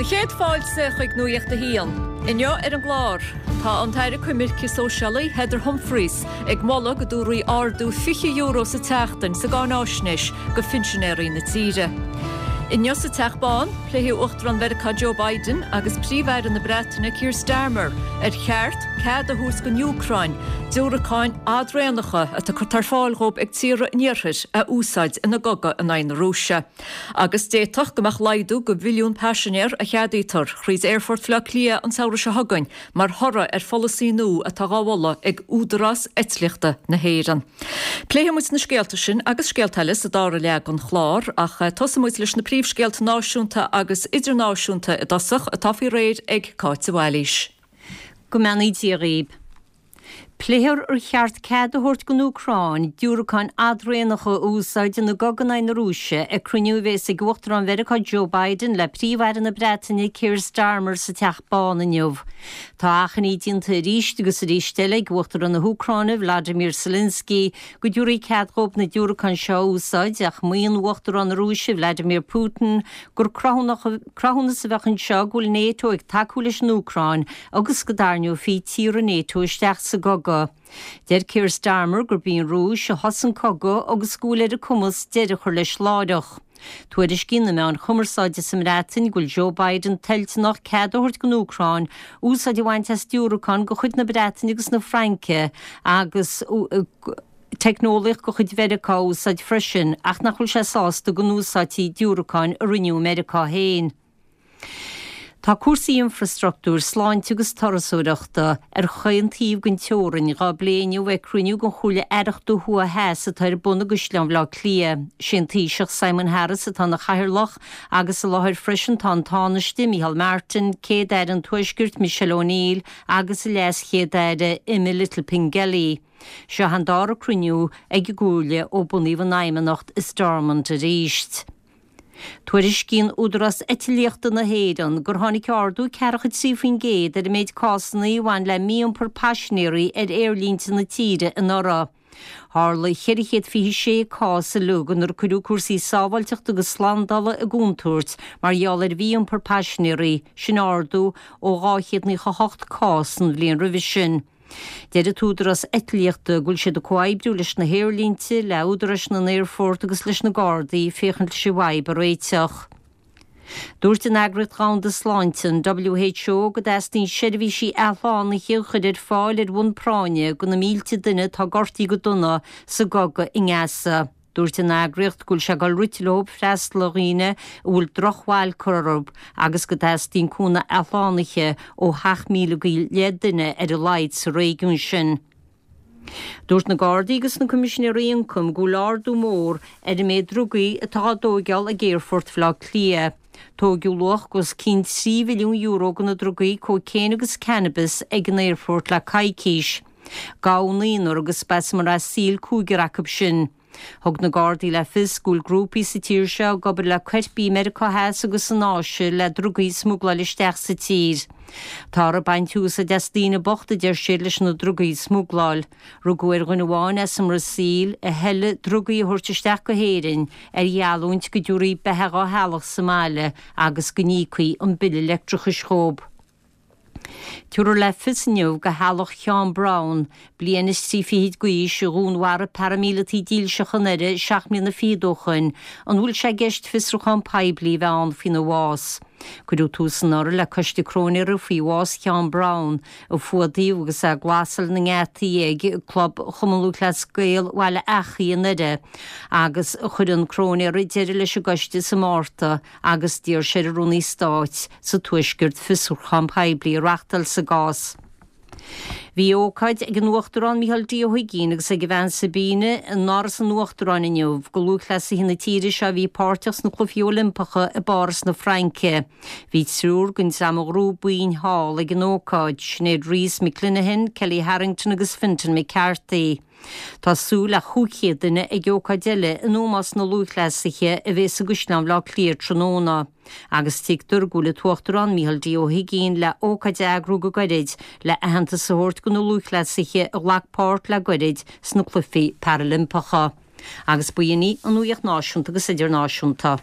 Do chéad fáilte chuig Nuacht a hAon. Inniu ar an gclár, tá an tAire Coimirce Sóisialaí Heather Humphreys ag moladh go dtabharfaí ardú €20 sa tseachtain sa gcáináisnéis go phinsinéirí na tíre. Inniu sa Teach Bán, pléifidh Uachtarán Mheiriceá Joe Biden agus Príomh-Aire na Breataine Keir Starmer ar cheart cead a thabhairt don Úcráin diúracáin fhadraonacha atá curtha ar fáil dhóibh ag tíortha an Iarthair a úsáid ina gcogadh in aghaidh na Rúise. Agus d'fhéadfadh go mbeadh laghdú go mhilliún paisinéir a cheadaítear thríd Aerfort Bhaile Átha Cliath an samhradh seo chugainn mar thoradh ar pholasaí nua atá dhá mholadh ag Údarás Eitlíochta na hÉireann. Pléifidh muid na scéalta sin agus scéalta eile sa dara leath den chlár ach tosóidh muid leis na príomhscéalta náisiúnta agus idirnáisiúnta i dtosach atá faoi réir ag Cáit de Bhailís. Go mbeannaí Dia dhaoib. Pléifear ar cheart cead a thabhairt don Úcráin diúracáin fhadraonacha a úsáid ina gcogadh in aghaidh na Rúise ag cruinniú a bhéas ag Uachtarán Mheiriceá Joe Biden le Príomh-Aire na Breataine Keir Starmer sa Teach Bán inniu. Tá achainí déanta arís agus arís eile ag Uachtarán na hÚcráine Vladimir Zelensky go dtabharfaí cead dhóibh na diúracáin seo a úsáid ach maíonn Uachtarán na Rúise Vladimir Putin gur cruthúnas a bheadh anseo go bhfuil Nato ag tacú leis an Úcráin agus go dtarraingeofaí tíortha Nato isteach sa gcogadh. Deir Keir Starmer gurb í an Rúis a thosaigh an cogadh agus go bhfuil ar a cumas deireadh a chur leis láithreach. Tuairiscíonn na meáin chumarsáide sa mBreatain go bhfuil Joe Biden toilteanach cead a thabhairt don Úcráin úsáid a bhaint as diúracáin de chuid na Breataine agus na Fraince agus teicneolaíocht de chuid Mheiriceá a úsáid freisin ach nach bhfuil sé sásta go n-úsáidfí diúracáin a rinneadh i Meiriceá féin. Tá cúrsaí infreastruchtúir, sláinte agus turasóireachta ar chaon taobh den teorainn dhá bplé inniu ag cruinniú den Chomhairle Aireachta Thuaidh Theas atá ar bun i gCaisleán Bhaile Átha Cliath. Sé an Taoiseach Simon Harris atá ina chathaoirleach agus i láthair freisin tá an Tánaiste, Micheál Martin, Céad-Aire an Tuaiscirt, Michelle O'Neill agus an LeasChéad-Aire, Emma Little Pengelly. Seo an dara cruinniú ag an gComhairle ó bunaíodh an Fheidhmeannacht i Stormont arís. Tuairiscíonn Údarás Eitlíochta na hÉireann gur tháinig ardú 43% ar an méid cásanna a bhain le mí-iompar paisinéirí ar aerlínte na tíre anuraidh. Tharla 426 cás uilig inar cuireadh cúrsaí sábháilteachta agus slándála i gcontúirt mar gheall ar mhí-iompar paisinéirí, sin ardú ó 298 cás an bhliain roimhe sin. Deir an tÚdarás Eitlíochta go bhfuil siad ag comhoibriú leis na haerlínte, le údaráis na n-aerfort agus leis na Gardaí féachaint leis an bhfadhb a réiteach. Dúirt an Eagraíocht Dhomhanda Sláinte, an WHO, go dteastaíonn seirbhísí athshlánaithe a chur ar fáil ar bhonn práinne do na mílte duine atá gortaithe go dona sa gcogadh i nGaza. Dúirt an eagraíocht go bhfuil sé ag dul rite leo freastal ar dhaoine a bhfuil drochbhail curtha orthu agus go dteastaíonn cúnamh athshlánaithe ó 7,000 go leith duine ar a laghad sa réigiún sin. Dúirt na Gardaí agus na Coimisinéirí Ioncaim go bhfuil ardú mór ar an méid drugaí atá á dtóigeáil ag Aerfort Bhaile Átha Cliath. Tóigeadh luach os cionn €3 mhilliún de na drugaí cócaon agus cannabis ag an aerfort le coicís. Gabhadh naonúr agus ba as an mBrasaíl cúigear acu sin. Thug na Gardaí le fios go bhfuil grúpaí sa tír seo ag obair le coirpigh i Meiriceá Theas agus san Áise le drugaí a smugláil isteach sa tír. Táthar ag baint úsáid as daoine bochta, a deir siad, leis na drugaí a smugláil. Rugadh ar dhuine amháin as an mBrasaíl a thoiligh drugaí a thabhairt isteach go hÉirinn ar gheallúint go dtabharfaí beatha dhá theaghlach sa mbaile agus go n-íocfaí an bille leictreachais dhóibh. Tabharfar le fios inniu do theaghlach Sheáin Browne, bliain is trí fichid d'aois, a dhúnmharaigh paraimíleataí dílseacha i nDoire seacht mbliana fichead ó shoin, an bhfuil sé i gceist fiosrúchán poiblí a bheith ann faoina bhás. Cuireadh tús anuraidh le coiste cróinéara faoi bhás Sheáin Browne, a fuadaíodh agus é ag glasáil na ngeataí ag Club Chumann Lúthchleas Gael Bhaile Eachaidh i nDoire, agus chuir an cróinéara deireadh leis an gcoiste sa Márta. agus d'iarr sé ar an Rúnaí Stáit sa Tuaisceart fiosrúchán poiblí a reachtáil sa gcás. Bhí ócáid ag an Uachtarán Micheál D. Ó hUigínn agus ag a bhean Sabina in Áras an Uachtaráin inniu do lúthchleasaithe na tíre seo a bhí páirteach sna Cluichí Oilimpeacha i bPáras na Fraince. Bhí triúr den dream a ghnóthaigh boinn thall ag an ócáid, Sinéad Rees McClenahan, Kellie Harrington agus Fintan McCarthy. Tá súil le 500 duine ag ócáid eile in ómós na lúthchleasaithe a bhéas i gCaisleán Bhaile Átha Cliath tráthnóna, agus tuigtear go bhfuil an tUachtarán Micheál D. Ó hUigínn le ócáid a eagrú go gairid le aitheantas a thabhairt do na lúthchleasaithe a ghlac páirt le gairid sna Cluichí Parailimpeacha. Agus b'in í an nuacht náisiúnta agus idirnáisiúnta.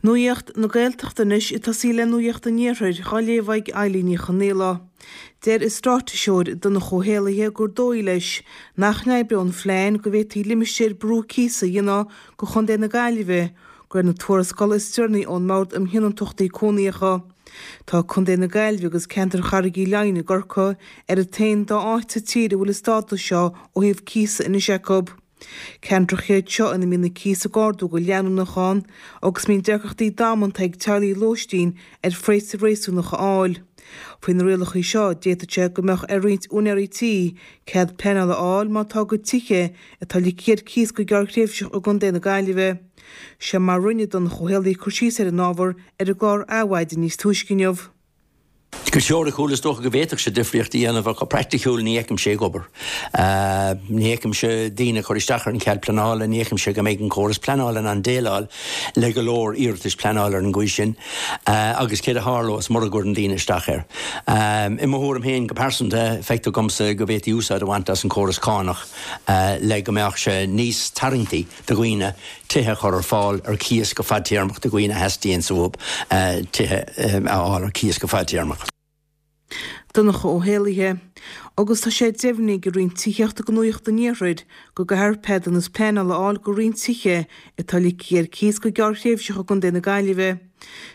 Nuacht na Gaeltachta anois, ag tosaí le Nuacht an Iarthair, dhá léamh ag Eilín Ní Chonaola. Deir an Straitéiseoir Donncha Ó hÉallaithe gur dóigh leis nach n-oibreoidh an phlean go bhféadfaí limistéar brú cíosa a dhéanamh de Chontae na Gaillimhe, de réir na tuarascála is deireanaí ón mBord um Thionóntachtaí Cónaitheacha. Tá Contae na Gaillimhe agus ceantar Charraig Uí Leighin i gCorcaigh ar an t-aon dá áit sa tír a bhfuil an stádas seo ó thaobh cíosa anois acu. Ceantracha iad seo ina mbíonn na cíos ag ardú go leanúnach ann agus mbíonn deacrachtaí damanta ag teaghlaigh lóistín ar phraghas réasúnach a fháil. Faoi na rialacha seo d'fhéadfadh sé go mbeadh ar roinnt úinéirí tí cead pleanála a fháil má tá a gcuid tithe atá ligthe ar cíos go gearrthréimhseach i gContae na Gaillimhe. Seo mar rinne Donncha Ó hÉallaithe cur síos ar an ábhar ar an gclár Adhmhaidin níos túisce inniu. Go teoiriciúil is dócha go bhféadfadh sé difríocht a dhéanamh ach go praiticiúil ní fheicimse é ag obair. Ní fheicimse daoine ag cur isteach ar an chead pleanála, ní fheicimse go mbeidh an córas pleanála in ann déileáil le go leor iarratais pleanála ar an gcaoi sin agus céard a tharlós mura gcuireann daoine isteach air. I mo thuairim féin go pearsanta, feictear dhomsa go bhféadfaí úsáid a bhaint as an chóras cánach le go mbeadh sé níos tarraingtí do dhaoine tithe a chur ar fáil ar cíos go fadtéarmach do dhaoine a theastaíonns uathu tithe a fháil ar cíos go fadtéarmach. Donncha Ó hÉallaithe. Agus tá sé deimhnithe ag an Roinn Tithíochta do Nuacht an Iarthair go gcaithfear ceadúnas pleanála a fháil do roinnt tithe atá ligthe ar cíos go gearrthréimhseach i gContae na Gaillimhe.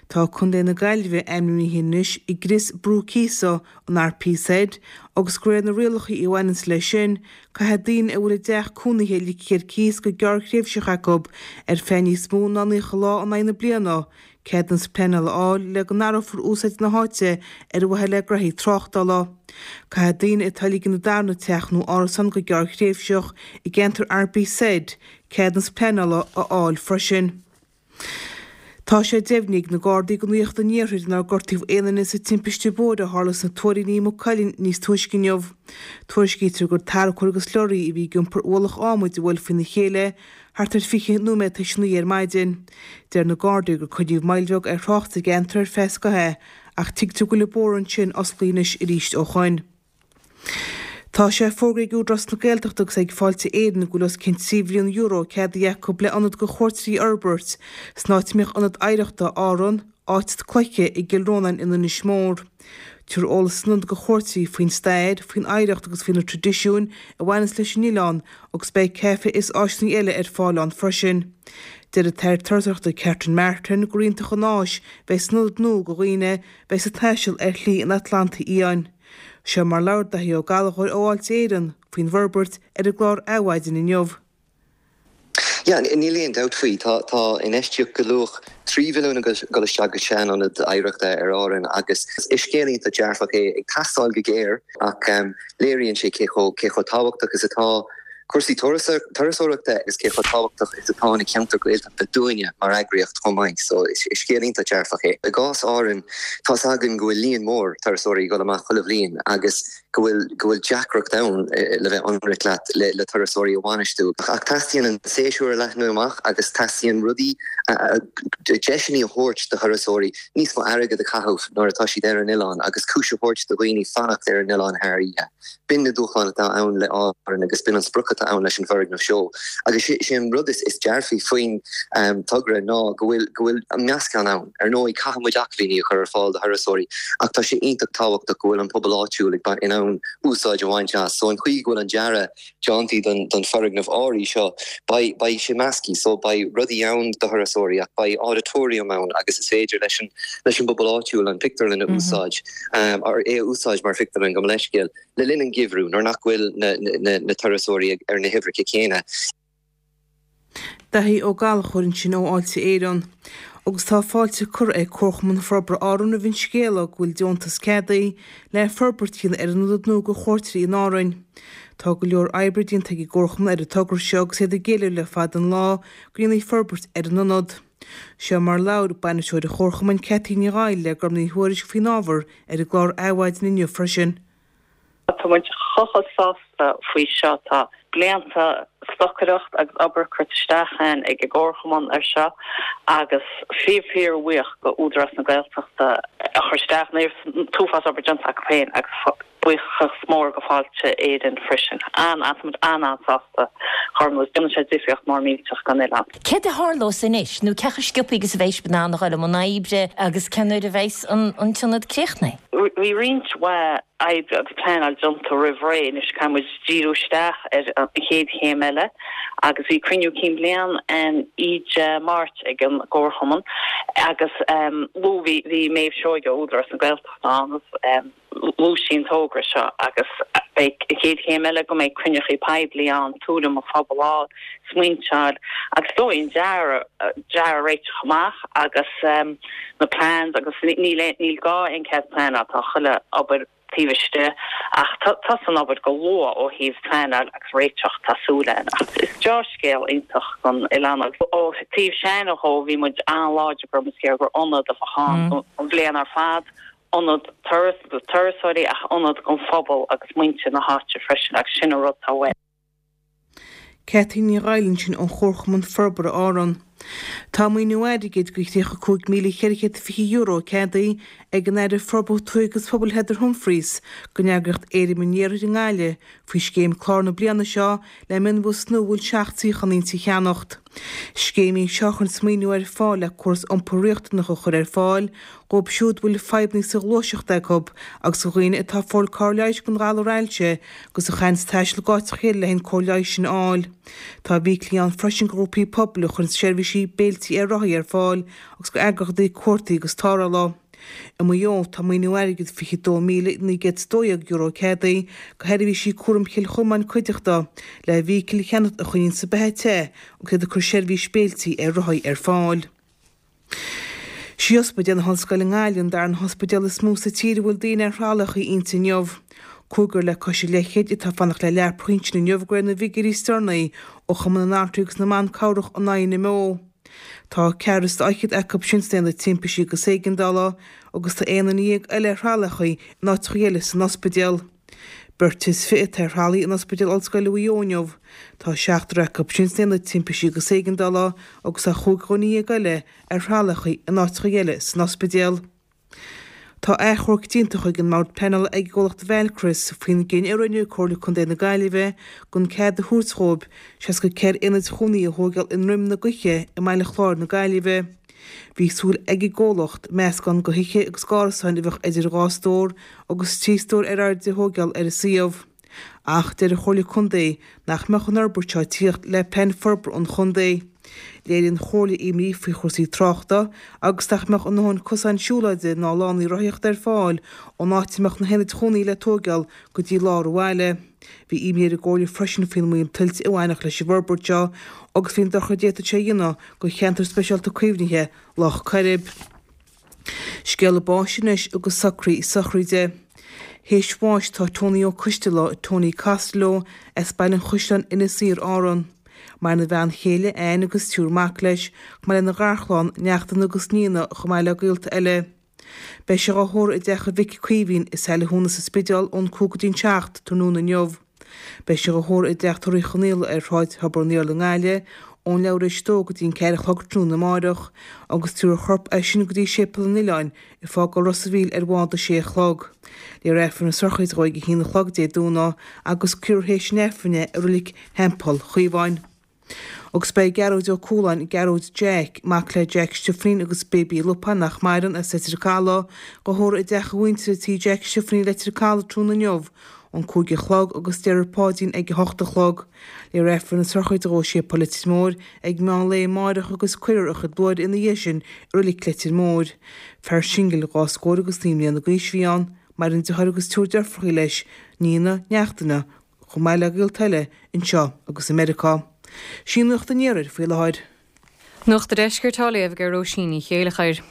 Tá Contae na Gaillimhe ainmnithe anois i gcrios brú cíosa an RPZ agus de réir na rialacha a bhaineanns leis sin, Caithfidh daoine a bhfuil a dteach cónaithe ligthe ar cíos go gearrthréimhseach acu ar feadh níos mó ná 90 lá in aghaidh na bliana, ceadúnas pleanála a fháil le go n-athrófar úsáid na háite ar mhaithe le gnoithí tráchtála. Caithfidh daoine atá ag ligean a darna teach nó árasán go gearrthréimhseach i gceantar RPZ ceadúnas pleanála a fháil freisin. Tá sé deimhnithe ag na Gardaí do Nuacht an Iarthair nár gortaíodh aon duine sa timpiste bóthair a tharla sna Tuairíní i Maigh Cuilinn níos túisce inniu. Tuairiscítear gur tarracóir agus lorraí a bhí ag iompar ualach adhmaid a bhuail faoina chéile thart ar 20 nóiméad tar éis a 9 ar maidin. Deir na Gardaí gur coinníodh moill bheag ar thrácht sa gceantar ar feadh scothaimh ach tuigtear go bhfuil an bóthar ansin osclaithe anois arís ó shoin. Tá sé fógraithe ag Údarás na Gaeltachta agus ag Fáilte Éireann go bhfuil os cionn €3 mhilliún ceadaithe acu le ionad do chuairteoirí a fhorbairt san áit a mbíodh Ionad Oidhreachta Árann, Áit Cloiche i gCill Rónáin in Inis Mór. Tabharfar eolas san ionad do chuairteoirí faoin stair, faoin oidhreacht agus faoi na traidisiúin a bhaineanns leis an oileán agus beidh caife is áiseanna eile ar fáil ann freisin. Deir an tAire Turasóireachta Catherine Martin gur iontach an áis bheidh san ionad nua do dhaoine bheidh ag taisteal ar Shlí an Atlantaigh Fhiáin. Seo mar labhair Daithí Ó Gallchóir ó Fháilte Éireann faoin bhforbairt ar an gclár Adhmhaidin inniu. Yeah, níl aon dabht faoi. Tá tá infheistíocht de luach 3 mhilliún ag dul isteach go sean-ionad oidhreachta ar Árainn agus is scéal iontach dearfach é, ag teastáil go géar ach léiríonn sé cé chomh cé chomh tábhachtach is atá cúrsaí turasóireachta agus cé chomh tábhachtach is atá na ceantair Ghaeltachta dúinne mar eagraíocht chomh maith. So is scéal iontach dearfach é. I gcás Árann, tá's againn go bhfuil líon mór turasóirí ag dul amach chuile bhliain agus go bhfuil go bhfuil deacracht ann, le bheith ionraic leat, le le turasóirí a bhainistiú. Ach teastaíonn an séasúr a leathnú amach agus teastaíonn rudaí, deiseanna a thabhairt do thurasóirí níos mó airgead a chaitheamh nuair atá siad ar an oileán agus cúis a thabhairt do dhaoine fanacht ar an oileán thar oíche. B'in na dúshláin atá ann le Árainn agus b'in an sprioc atá ann leis an bhfoirgneamh seo. Agus sé an rud is dearfaí faoin togra ná go bhfuil go bhfuil an meascán ann. Ar ndóigh, caithfidh muid acmhainní a chur ar fáil do thurasóirí ach tá sé iontach tábhachtach go bhfuil an pobal áitiúil ag in ann úsáid a bhaint as. So an chaoi go bhfuil an dearadh déanta don don foirgneamh áirithe seo, beidh beidh sé measctha. So beidh rudaí ann do thurasóirí ach beidh auditorium ann agus is féidir leis an leis an bpobal áitiúil an pictiúrlann a úsáid. é a úsáid mar phictiúrlann, gabh mo leithscéal, le linn an gheimhridh nuair nach bhfuil na turasóirí ar na huimhreacha céanna. Daithí Ó Gallchóir ansin ó Fháilte Éireann. Agus tá fáilte curtha ag Comharchumann Forbartha Árann roimh an scéala go bhfuil deontas ceadaithe le forbairt a dhéanamh ar an ionad nua do chuairteoirí in Árainn. Tá go leor oibre déanta ag an gComharchumann ar an togra seo agus iad ag éileamh le fada an lá go ndéanfaí forbairt ar an ionad. Seo mar labhair Bainisteoir an Chomharchumainn Cathy Ní Dhaill le Gorm Ní Thuairisg faoin ábhar ar an gclár Adhmhaidin inniu freisin. Tá muid chomh chomh sásta faoi seo. Tá blianta stocaireacht agus obair curtha isteach againn ag an gComharchumann ar seo agus fíor fíor bhuíoch go Údarás na Gaeltachta a chuir isteach an t-uafás obair déanta acu féin agus. Buíochas mór go Fáilte Éireann freisin. An-, tá muid an-an-sásta Gormlaith. Déanann sé difríocht mór millteach don oileán. Céard a tharlós anois, nó cé chomh sciobtha agus a bheidh sibh in ann a dhul i mbun oibre agus cén uair a bheidhs an t-ionad críochnaithe? Bhí roinnt mhaith oibre agus pleanáil déanta roimh ré, anois caithfidh muid díriú isteach ar an chéad chéim eile agus bhí cruinniú cinn bliana ann oíche Máirt ag an gComharchumann agus luaigh, bhí Méabh Seoige ó Údarás na Gaeltachta ann agus luaigh sí an togra seo agus beidh an chéad chéim eile go mbeidh cruinneachaí poiblí ann, tuairim an phobail a fháil, smaointe a fháil agus is dóigh an dearadh, dearadh a réiteach amach agus na plans agus níl níl gá aon cead pleanála, tá chuile obair taobh istigh ach tosaíonn an obair go luath ó thaobh pleanáil agus réiteach, tá súil againn. Ach is deá-scéal iontach don oileán agus ó thaobh Seanadh dhó bhí muid an-láidir go raibh muid ag iarraidh gur ionad a bheadh ann an bhliain ar fad, ionad turas do turasóirí ach ionad don phobal agus muintir na háite freisin agus sin an rud atá uainn. Cathy Ní Dhaill ansin ón Chomharchumann Forbartha Árann. Tá maoiniú airgid de €35,420 ceadaithe ag an Aire Forbartha Tuaithe agus Pobail Heather Humphreys don eagraíocht Éirim an Iarthair i nGaillimh faoi scéim clár na bliana seo le mionbhus nua a bhfuil 7 suíochán inti a cheannacht. Scéim í seo a chuireanns maoiniú ar fáil le córas iompair riachtanach a chur ar fáil dhóibh siúd a bhfuil fadhbanna sa ghluaiseacht acu agus do dhaoine atá ag fáil cóir leighis don ghalar ailse agus a chaitheanns taisteal go áiteacha eile le an cóir leighis sin a fháil. Tá bhíclí ann freisin do ghrúpaí pobail a chuireanns seirbhísí béiltí ar rothaí ar fáil agus do eagraíochtaí cuartaigh agus tarrthála. I Maigh Eo, tá maoiniú airgid €22,912 ceadaithe do Sheirbhísí Cúraim Chill Chomáin Cuideachta le vehicle a cheannacht a choinníonns an beatha te agus iad ag cur seirbhís béiltí ar rothaí ar fáil. Sí Ospidéal na hOllscoile i nGaillimh an darna hospidéal is mó sa tír a bhfuil daoine ar thralachaí inti inniu. Cúigear le cois a leithchéid atá ag fanacht le leapacha ansin inniu de réir na bhfigiúirí is deireanaí ó Chumann na nAltraí agus na mBan Cabhrach an INMO. Tá ceathrar is fhichead acu sin san aonad timpistí agus éigeandála agus tá 11 duine eile ar thralachaí in áiteacha eile san ospidéal. Beirt is 20 atá ar thralaí in Ospidéal Ollscoile Mhaigh Eo inniu. Tá seachtar acu sin san aonad timpistí agus éigeandála agus tá chúig dhuine dhéag eile ar thralachaí in áiteacha eile san ospidéal. Tá achomharc déanta chuig an mBord Pleanála ag an gcomhlacht Valchris faoin gcinneadh a rinne Comhairle Contae na Gaillimhe gan cead a thabhairt dhóibh 64 aonad chónaí a thóigeáil i nDroim na gCoiche i mBaile Chláir na Gaillimhe. Bhí súil ag an gcomhlacht meascán de thithe agus d'árasáin a bheadh idir dhá stór agus trí stór ar airde a thóigeáil ar an suíomh. Ach deir an Chomhairle Contae nach mbeadh an fhorbairt seo ag tíocht le plean forbartha an chontae. Léirigh an Chomhairle imní faoi chúrsaí tráchta agus nach mbeadh a ndóthain cosáin siúlóide ná lánaí rothaíochta ar fáil ón áit a mbeadh na haonaid chónaí le tóigeáil go dtí lár an bhaile. Bhí imní ar an gComhairle freisin faoin mbaol tuilte a bhainfeadh leis an bhforbairt seo agus faoin dochar a d'fhéadfadh sé a dhéanamh do cheantar speisialta caomhnaithe Loch Coirib. Scéala báis anois agus socruithe sochraide. Théis bháis tá Tony Ó Coistealbha, Tony Costello, as Baile an Chaisleáin, Inis Oírr, Árann. Maireann a bhean chéile, Anne agus triúr mac leis, chomh maith lena gharchlann, neachtanna agus nianna, chomh maith le gaolta eile. Beidh sé dhá thórramh i dteach a mhic Caoimhín i Saile Thúna sa Spidéal ón 5 go dtí an 7 tráthnóna inniu. Beidh sé dhá thórramh i dTeach Tórraimh Uí Chonaola ar Shráid Thobar an Iarla i nGaillimh ón leathuair éis a dó go dtí an 4 a chlog tráthnóna amáireach agus tabharfar a chorp as sin go dtí Séipéal an Oileáin ag fágáil Ros a' Mhíl ar bhád a sé a chlog. Léifear Aifreann na sochraide dhó ag a haon a chlog Dé Domhnaigh agus cuirfear théis an Aifrinn é i Reilig Theampall Chaomháin. Agus beidh Gearóid Ó Cualáin, Gearóid Jeaic, mac le Jeaic Stiofainín agus Baby Lupán nach maireann, as Leitir Caladh, dhá thórramh i dteach a mhuintire Tí Jeaic Stiofainín Leitir Caladh tráthnóna inniu ón 5 a chlog agus déarfar Páidín ag 8 a chlog. Léifear Aifreann na sochraide dhó i Séipéal Leitir Móir ag meán lae amáireach agus cuirfear a chuid luaithre ina dhiaidh sin i Reilig Leitir Móir. Fear singil dhá scór agus naoi mbliana d'aois a bhí ann. Maireann deartháir agus triúr deirfiúracha leis, nianna, neachtanna, chomh maith le gaolta eile anseo agus i Meiriceá. Sin Nuacht an Iarthair faoi láthair. Nuacht an Deiscirt á léamh ag Róisín Ní Chéileachair.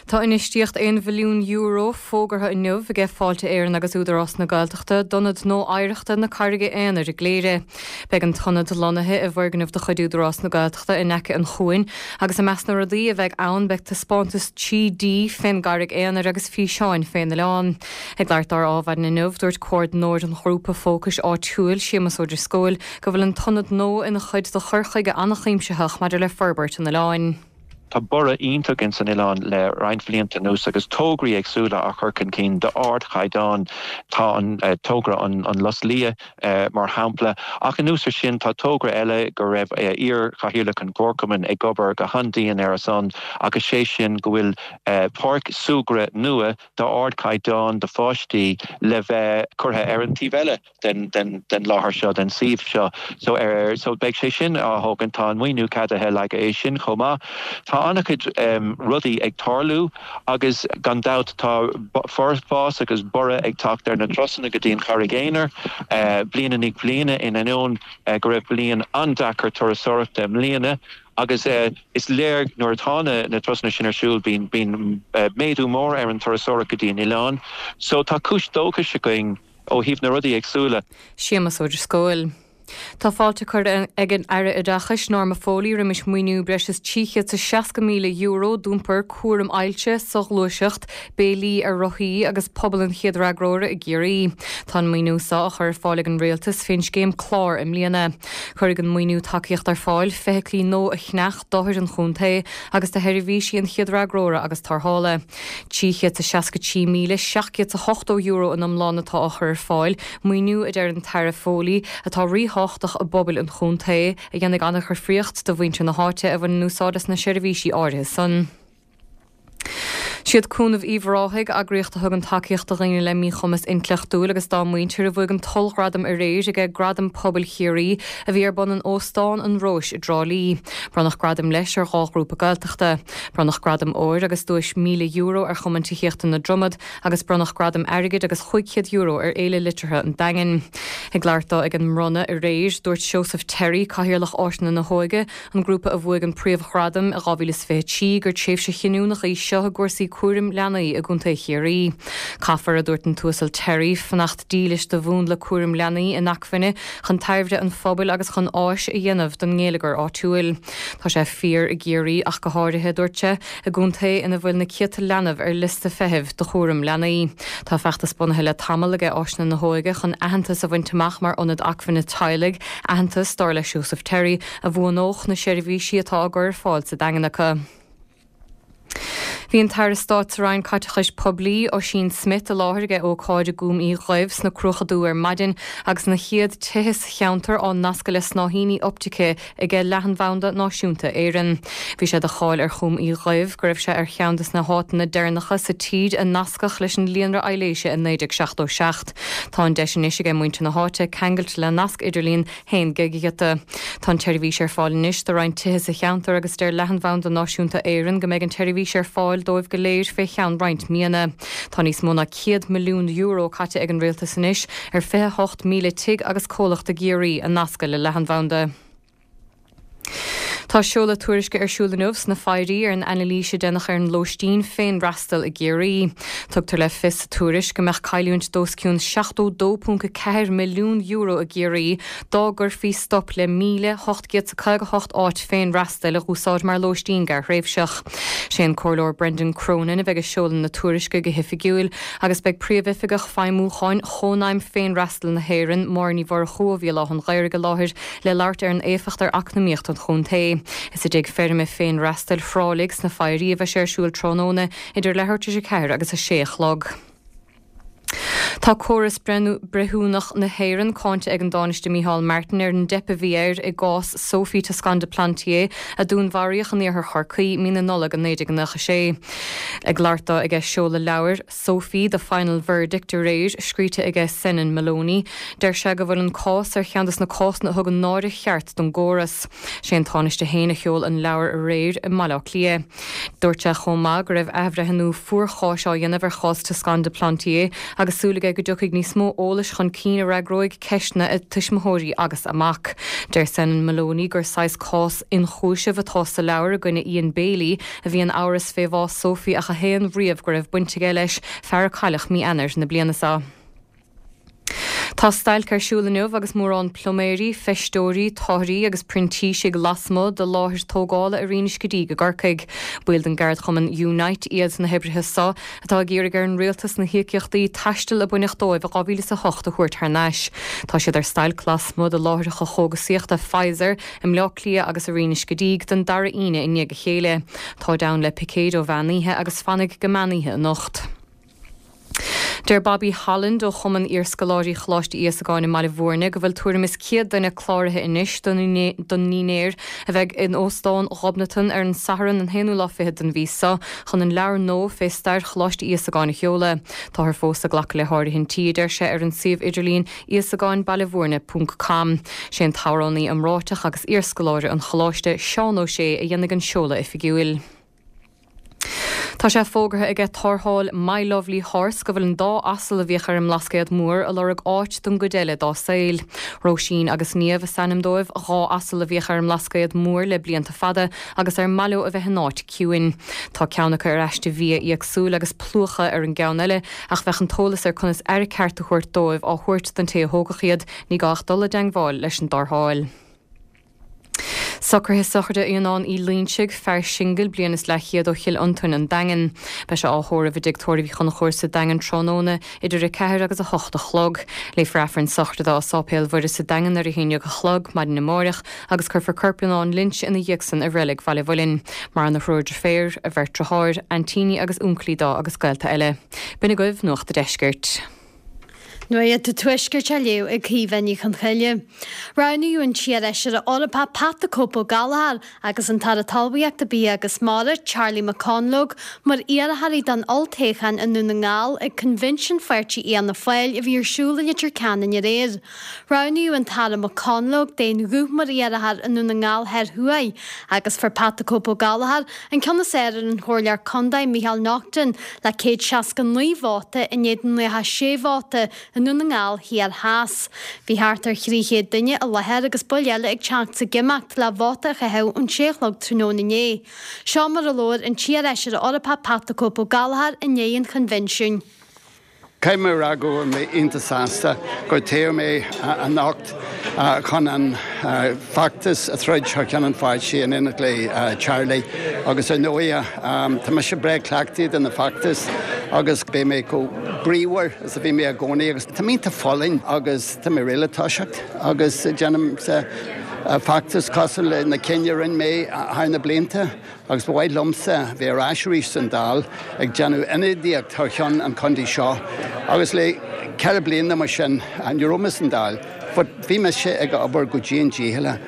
Tá infheistíocht €1 bhilliún fógartha inniu aige Fáilte Éireann agus Údarás na Gaeltachta d'Ionad nua Oidhreachta na Carraige Aonair i gCléire. Beidh an t-ionad lonnaithe i bhfoirgneamh de chuid Údarás na Gaeltachta in aice an chuain agus i measc na rudaí a bheidh ann beidh taispeántas 3D fén gCarraig Aonair agus físeáin fén oileán. Ag labhairt dó ar Adhmhaidin inniu, dúirt comhordaitheoir an ghrúpa fócais áitiúil, Séamus Ó Drisceoil, go bhfuil an t-ionad nua ina chuid de chur chuige an-chuimsitheach maidir le forbairt an oileáin. Tá borradh iontach ins an oileán le roinnt bhlianta anuas agus tograí éagsúla á chur chun cinn d'ardchaighdeán. Tá an togra an Lus Liath mar shampla, ach anuas ar sin tá togra eile go raibh iar-chathaoirleach an Chomharchumainn ag obair go han-dian ar a son agus sé sin go bhfuil páirc súgradh nua d'ardchaighdeán do pháistí le bheith curtha ar an taobh eile den láthair seo, den suíomh seo. So so beidh sé sin á thógaint, tá an maoiniú ceadaithe le haghaidh é sin chomh maith. Tá an-chuid rudaí ag tarlú agus gan dabht tá fás agus borradh ag teacht ar na turasanna go dtí an Charraig Aonair bliain i ndiaidh bliana in ainneoin go raibh bliain an-deacair turasóireachta i mbliana agus is léir nuair atá na turasanna sin ar siúl bíonn bíonn méadú mór ar an turasóireacht go dtí an oileán. So tá cúis dóchais againn. ó thaobh na rudaí éagsúla. Séamus Ó Drisceoil. Tá fáilte curtha ag an Aire Oideachais, Norma Foley, roimis maoiniú breis is €360,000 d'iompar cúram ailse, soghluaiseacht, béilí ar rothaí agus pobal an chéad fhreagróra i gCiarraí. Tá an maoiniú seo á chur ar fáil ag an Rialtas fén scéim Clár i mbliana. Cuirfidh an maoiniú tacaíocht ar fáil feithiclí nua a cheannach d'othair an chontae agus do sheirbhísí an chéad fhreagróra agus tarrthála. €363,780 in iomlán atá á chur ar fáil, maoiniú, a deir an tAire Foley, atá ríthábhachtach i bpobail an chontae, a dhéanfaidh an-dhifríocht do mhuintir na háite a bhaineann úsáid as na seirbhísí áirithe san. Siad Cúnamh Uíbh Ráthaigh, eagraíocht a thugann tacaíocht do dhaoine le míchumas intleachtúil agus dá muintir, a bhuaigh an t-ollghradam aréir aige Gradaim Pobail Chiarraí a bhí ar bun in Óstán an Róis i dTrá Lí. Bronnadh gradaim leis ar dhá ghrúpa Gaeltachta. Bronnadh gradam óir agus duais €1,000 ar Chumann Tithíochta na Dromad agus bronnadh gradam airgid agus €500 ar Fhéile Liteartha an Daingin. Ag labhairt dó ag an mbronnadh aréir, dúirt Seosamh Terry, Cathaoirleach Áiseanna na hÓige, an grúpa a bhuaigh an príomhghradam i 2023, gur tréimhse chinniúnach í seo i gcúrsaí cúraim leanaí i gContae Chiarraí. Caithfear, a dúirt an tUasal Terry, fanacht dílis do mhúnla cúraim leanaí inacmhainne chun tairbhe an phobail agus chun áis a dhéanamh don ngeilleagar áitiúil. Tá sé fíor i gCiarraí ach go háirithe, a dúirt sé, i gcontae ina bhfuil na céadta leanbh ar liosta feithimh do chúram leanaí. Tá feachtas bunaithe le tamall aige Áiseanna na hÓige chun aitheantas a bhaint amach mar ionad acmhainne teaghlaigh, aitheantas, dar le Seosamh Terry, a bhuanódh na seirbhísí atá á gcur ar fáil sa Daingean acu. Bhí an tAire Stáit sa Roinn Caiteachais Poiblí, Ossian Smyth, i láthair ag ócáid i gCúm Uí Dhuibh sna Cruacha Dubha ar maidin agus na chéad tithe sa cheantar á nascadh le snáithíní optaice aige Leathanbhanda Náisiúnta Éireann. Bhí sé de cháil ar Chúm Uí Dhuibh go raibh sé ar cheann de na háiteanna deireanacha sa tír a nascadh leis an líonra aibhléise i 1977. Tá an deis anois aige muintir na háite ceangailt le nasc idirlín 1 gigighiota. Tá an tseirbhís ar fáil anois do roinnt tithe sa cheantar agus deir Leathanbhanda Náisiúnta Éireann go mbeidh an tseirbhís ar fáil dóibh go léir fé cheann roinnt míonna. Tá níos mó ná €100 milliún caite ag an Rialtas anois ar 28,000 tigh agus comhlacht i gCiarraí a nascadh le leathanbhanda. Tá seoladh tuairisce ar siúl inniu sna Foyrí ar an anailís a deineadh ar an lóistín féinfhreastail i gCiarraí. Tugtar le fios sa tuairisc go mbeadh cailliúint d'os cionn €72.4 milliún i gCiarraí dá gcuirfí stop le 1,858 áit féinfhreastail a dh'úsáid mar lóistín gearrthréimhseach. Sé an Comhairleoir Brendan Cronin a bheidh ag seoladh na tuairisce go hoifigiúil agus beidh Príomhoifigeach Feidhmiúcháin Chónaidhm Féinfhreastail na hÉireann, Máire Ní Mhurchú ó Bhéal Átha an Ghaorthaidh i láthair le labhairt ar an éifeacht ar eacnamaíocht an chontae. Is i dtigh feirme féinfhreastail Thráiligh sna Foyrí a bheidh sé ar siúl tráthnóna idir leathuair tar éis a ceathair agus a sé a chlog. Tá córas breithiúnach na hÉireann cáinte ag an dTánaiste Micheál Martin ar an dteip a bhí air i gcás Sophie Toscan du Plantier a dúnmharaíodh in iarthar Chorcaí mí na Nollag i 1996. Ag labhairt dó aige seoladh leabhair Sophie, The Final Verdict aréir, scríte aige Senan Moloney, deir sé go bhfuil an cás ar cheann des na cásanna a thugann náire cheart don gcóras. Sé an Tánaiste féin a sheol an leabhar aréir i mBaile Átha Cliath. Dúirt sé chomh maith go raibh athbhreithniú fuarcháis á dhéanamh ar chás Toscan du Plantier agus súil aige go dtiocfaidh níos mó eolais chun cinn a fhreagróidh ceisteanna a tuismitheoirí agus a mac. Deir Senan Moloney gur saghas cás ionchúisimh atá sa leabhar i gcoinne Ian Bailey, a bhí in amhras fé bhás Sophie ach a shéan riamh go raibh baint aige leis, fear a cailleadh mí Eanáir na bliana seo. Tá stailc ar siúl inniu agus mórán pluiméirí, feisteoirí, táthairí agus printísigh lasmuigh de láthair tógála i Rinn Uisce Díg i gCorcaigh. Baill den gceardchumann Unite iad na hoibrithe seo atá ag iarraidh ar an rialtas na híocaíochtaí taistil a baineadh dóibh i 2008 a thabhairt thar n-ais. Tá siad ar stailc lasmuigh de láithreacha chógasaíochta Pfizer i mBleá Cliath agus i Rinn Uisce Díg don dara hAoine i ndiaidh a chéile. Táid ann le picéid ó mheán oíche agus fanfaidh go meán oíche anocht. Deir Bobby Holland ó Chumann Iarscoláirí Choláiste Íosagáin i mBaile Bhúirne go bhfuil tuairim is 100 duine cláraithe anois don ndinnéar a bheidh in Óstán Ghobnatan ar an Satharn an haonú lá fichead den mhí seo chun an leabhar nua fé stair Choláiste Íosagáin a sheoladh. Táthar fós ag glacadh le háirithintí, a deir sé, ar an suíomh idirlín íosagáinbailebhúirne ponc com. Sé an t-amhránaí iomráiteach agus iarscoláire an Choláiste, Seán Ó Sé, a dhéanfaidh an seoladh oifigiúil. Tá sé fógartha aige tarrtháil My Lovely Horse go bhfuil an dá asal a bhíodh ar an mBlascaod Mór ag lorg áit don gcuid eile dá saol. Róisín agus Niamh is ainm dóibh, 2 asal a bhíodh ar an mBlascaod Mór le blianta fada agus ar maith leo a bheith in áit ciúin. Tá ceann acu ar aiste bhia éagsúil agus plúchadh ar an gceann eile ach bheadh an t-eolas ar conas aire ceart a thabhairt dóibh á thabhairt don té a thógfadh iad, ní gá ach dul i dteangmháil leis an dtarrtháil. Socruithe sochraide Fhionnáin Uí Loinsigh, fear singil, bliain is leathchéad ó Chill Fhionntain, An Daingean. Beidh sé á thórramh i dTigh Tórraimh Uí Chonchúir sa Daingean tráthnóna idir 4 agus 8 a chlog. Léifear Aifreann sochraide dó i Sáipéal Mhuire sa Daingean ar a haon dhéag a chlog maidin amáireach agus cuirfear corp Fhionnáin Lynch ina dhiaidh san i Reilig Bhaile Mhuilinn. Maireann a thriúr deirféar, a bheirt driotháir, aintíní agus únclaí dó agus gaolta eile. B'in agaibh Nuacht a' Deiscirt. Nuacht an Tuaiscirt á léamh ag Caoimhe Ní Chonchoille. Roghnaíodh an t-iarfheisire Eorpach Pat the Cope Ó Gallchóir agus an tAire Talmhaíochta, Bia agus Mara, Charlie McConalogue, mar iarrthóirí don olltoghchán i nDún na nGall ag Coinbhinsiún Pháirtí Fhianna Fáil a bhí ar siúl i Leitir Ceanainn aréir. Roghnaíodh an tAire McConalogue d'aon ghuth mar iarrthóir i nDún na nGall Thoir Thuaidh agus fuair Pat the Cope Ó Gallchóir an ceann is fearr ar an Chomhairleoir Contae Micheál Naughton le 169 vóta in éadan 96 vóta i nDún na nGall Thiar Theas. Bhí thart ar 300 duine i láthair agus baill eile ag teacht is ag imeacht le vóta a chaitheamh ón sé a chlog tráthnóna inné. Seo mar a labhair an t-iarfheisire Eorpach Pat the Cope Ó Gallchóir i ndiaidh an choinbhinsiúin. Caithfidh mé a rá go bhfuil mé iontach sásta gur toghadh mé anocht chun an feachtas a throid thar ceann an pháirtí in éineacht le Charlie agus ar ndóigh tá mise breá cleachtaithe do na feachtais agus beidh mé chomh bríomhar is a bhí mé i gcónaí agus tá mé iontach folláin agus tá mé réidh le toiseacht agus déanfaimse feachtas cosúil le na cinn a rinne mé thar na blianta. Agus ba mhaith liomsa bheith ar ais arís san Dáil ag déanamh ionadaíocht thar cheann an chontae seo agus le 4 bliana mar sin ní raibh mé san Dáil but bhí mise ag obair go dian dícheallach,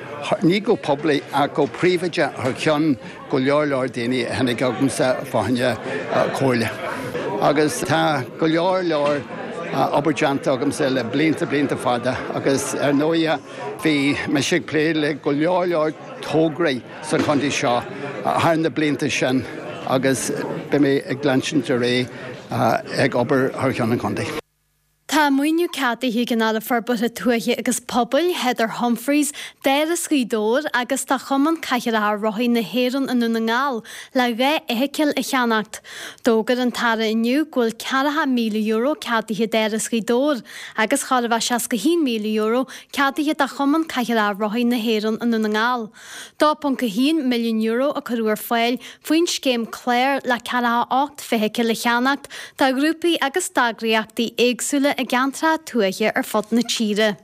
ní go poiblí ach go príobháideach thar cheann go leor leor daoine a tháinig chugamsa fá choinne comhairle. Agus tá go leor leor obair déanta agamsa le blianta blianta fada agus ar ndóighe bhí mise ag plé le go leor leor tograí sa chontae seo thar na blianta sin agus beidh mé ag leanstan ar aghaidh ag obair thar cheann an chontae. Tá maoiniú ceadaithe ag an Aire Forbartha Tuaithe agus Pobail, Heather Humphreys, d'Áras Ghaoth Dobhair agus do Chumann Cathaoireacha Rothaí na hÉireann i nDún na nGall le 2 fheithicil a cheannacht. D'fhógair an tAire inniu go bhfuil €40,000 ceadaithe d'Áras Ghaoth Dobhair agus chóir a bheith €61,000 ceadaithe do Chumann Cathaoireacha Rothaí na hÉireann i nDún na nGall. €2.1 milliún a cuireadh ar fáil faoin scéim clár le 48 feithicil a cheannacht do ghrúpaí agus d'eagraíochtaí éagsúla i gceantracha tuaithe ar fud na tíre.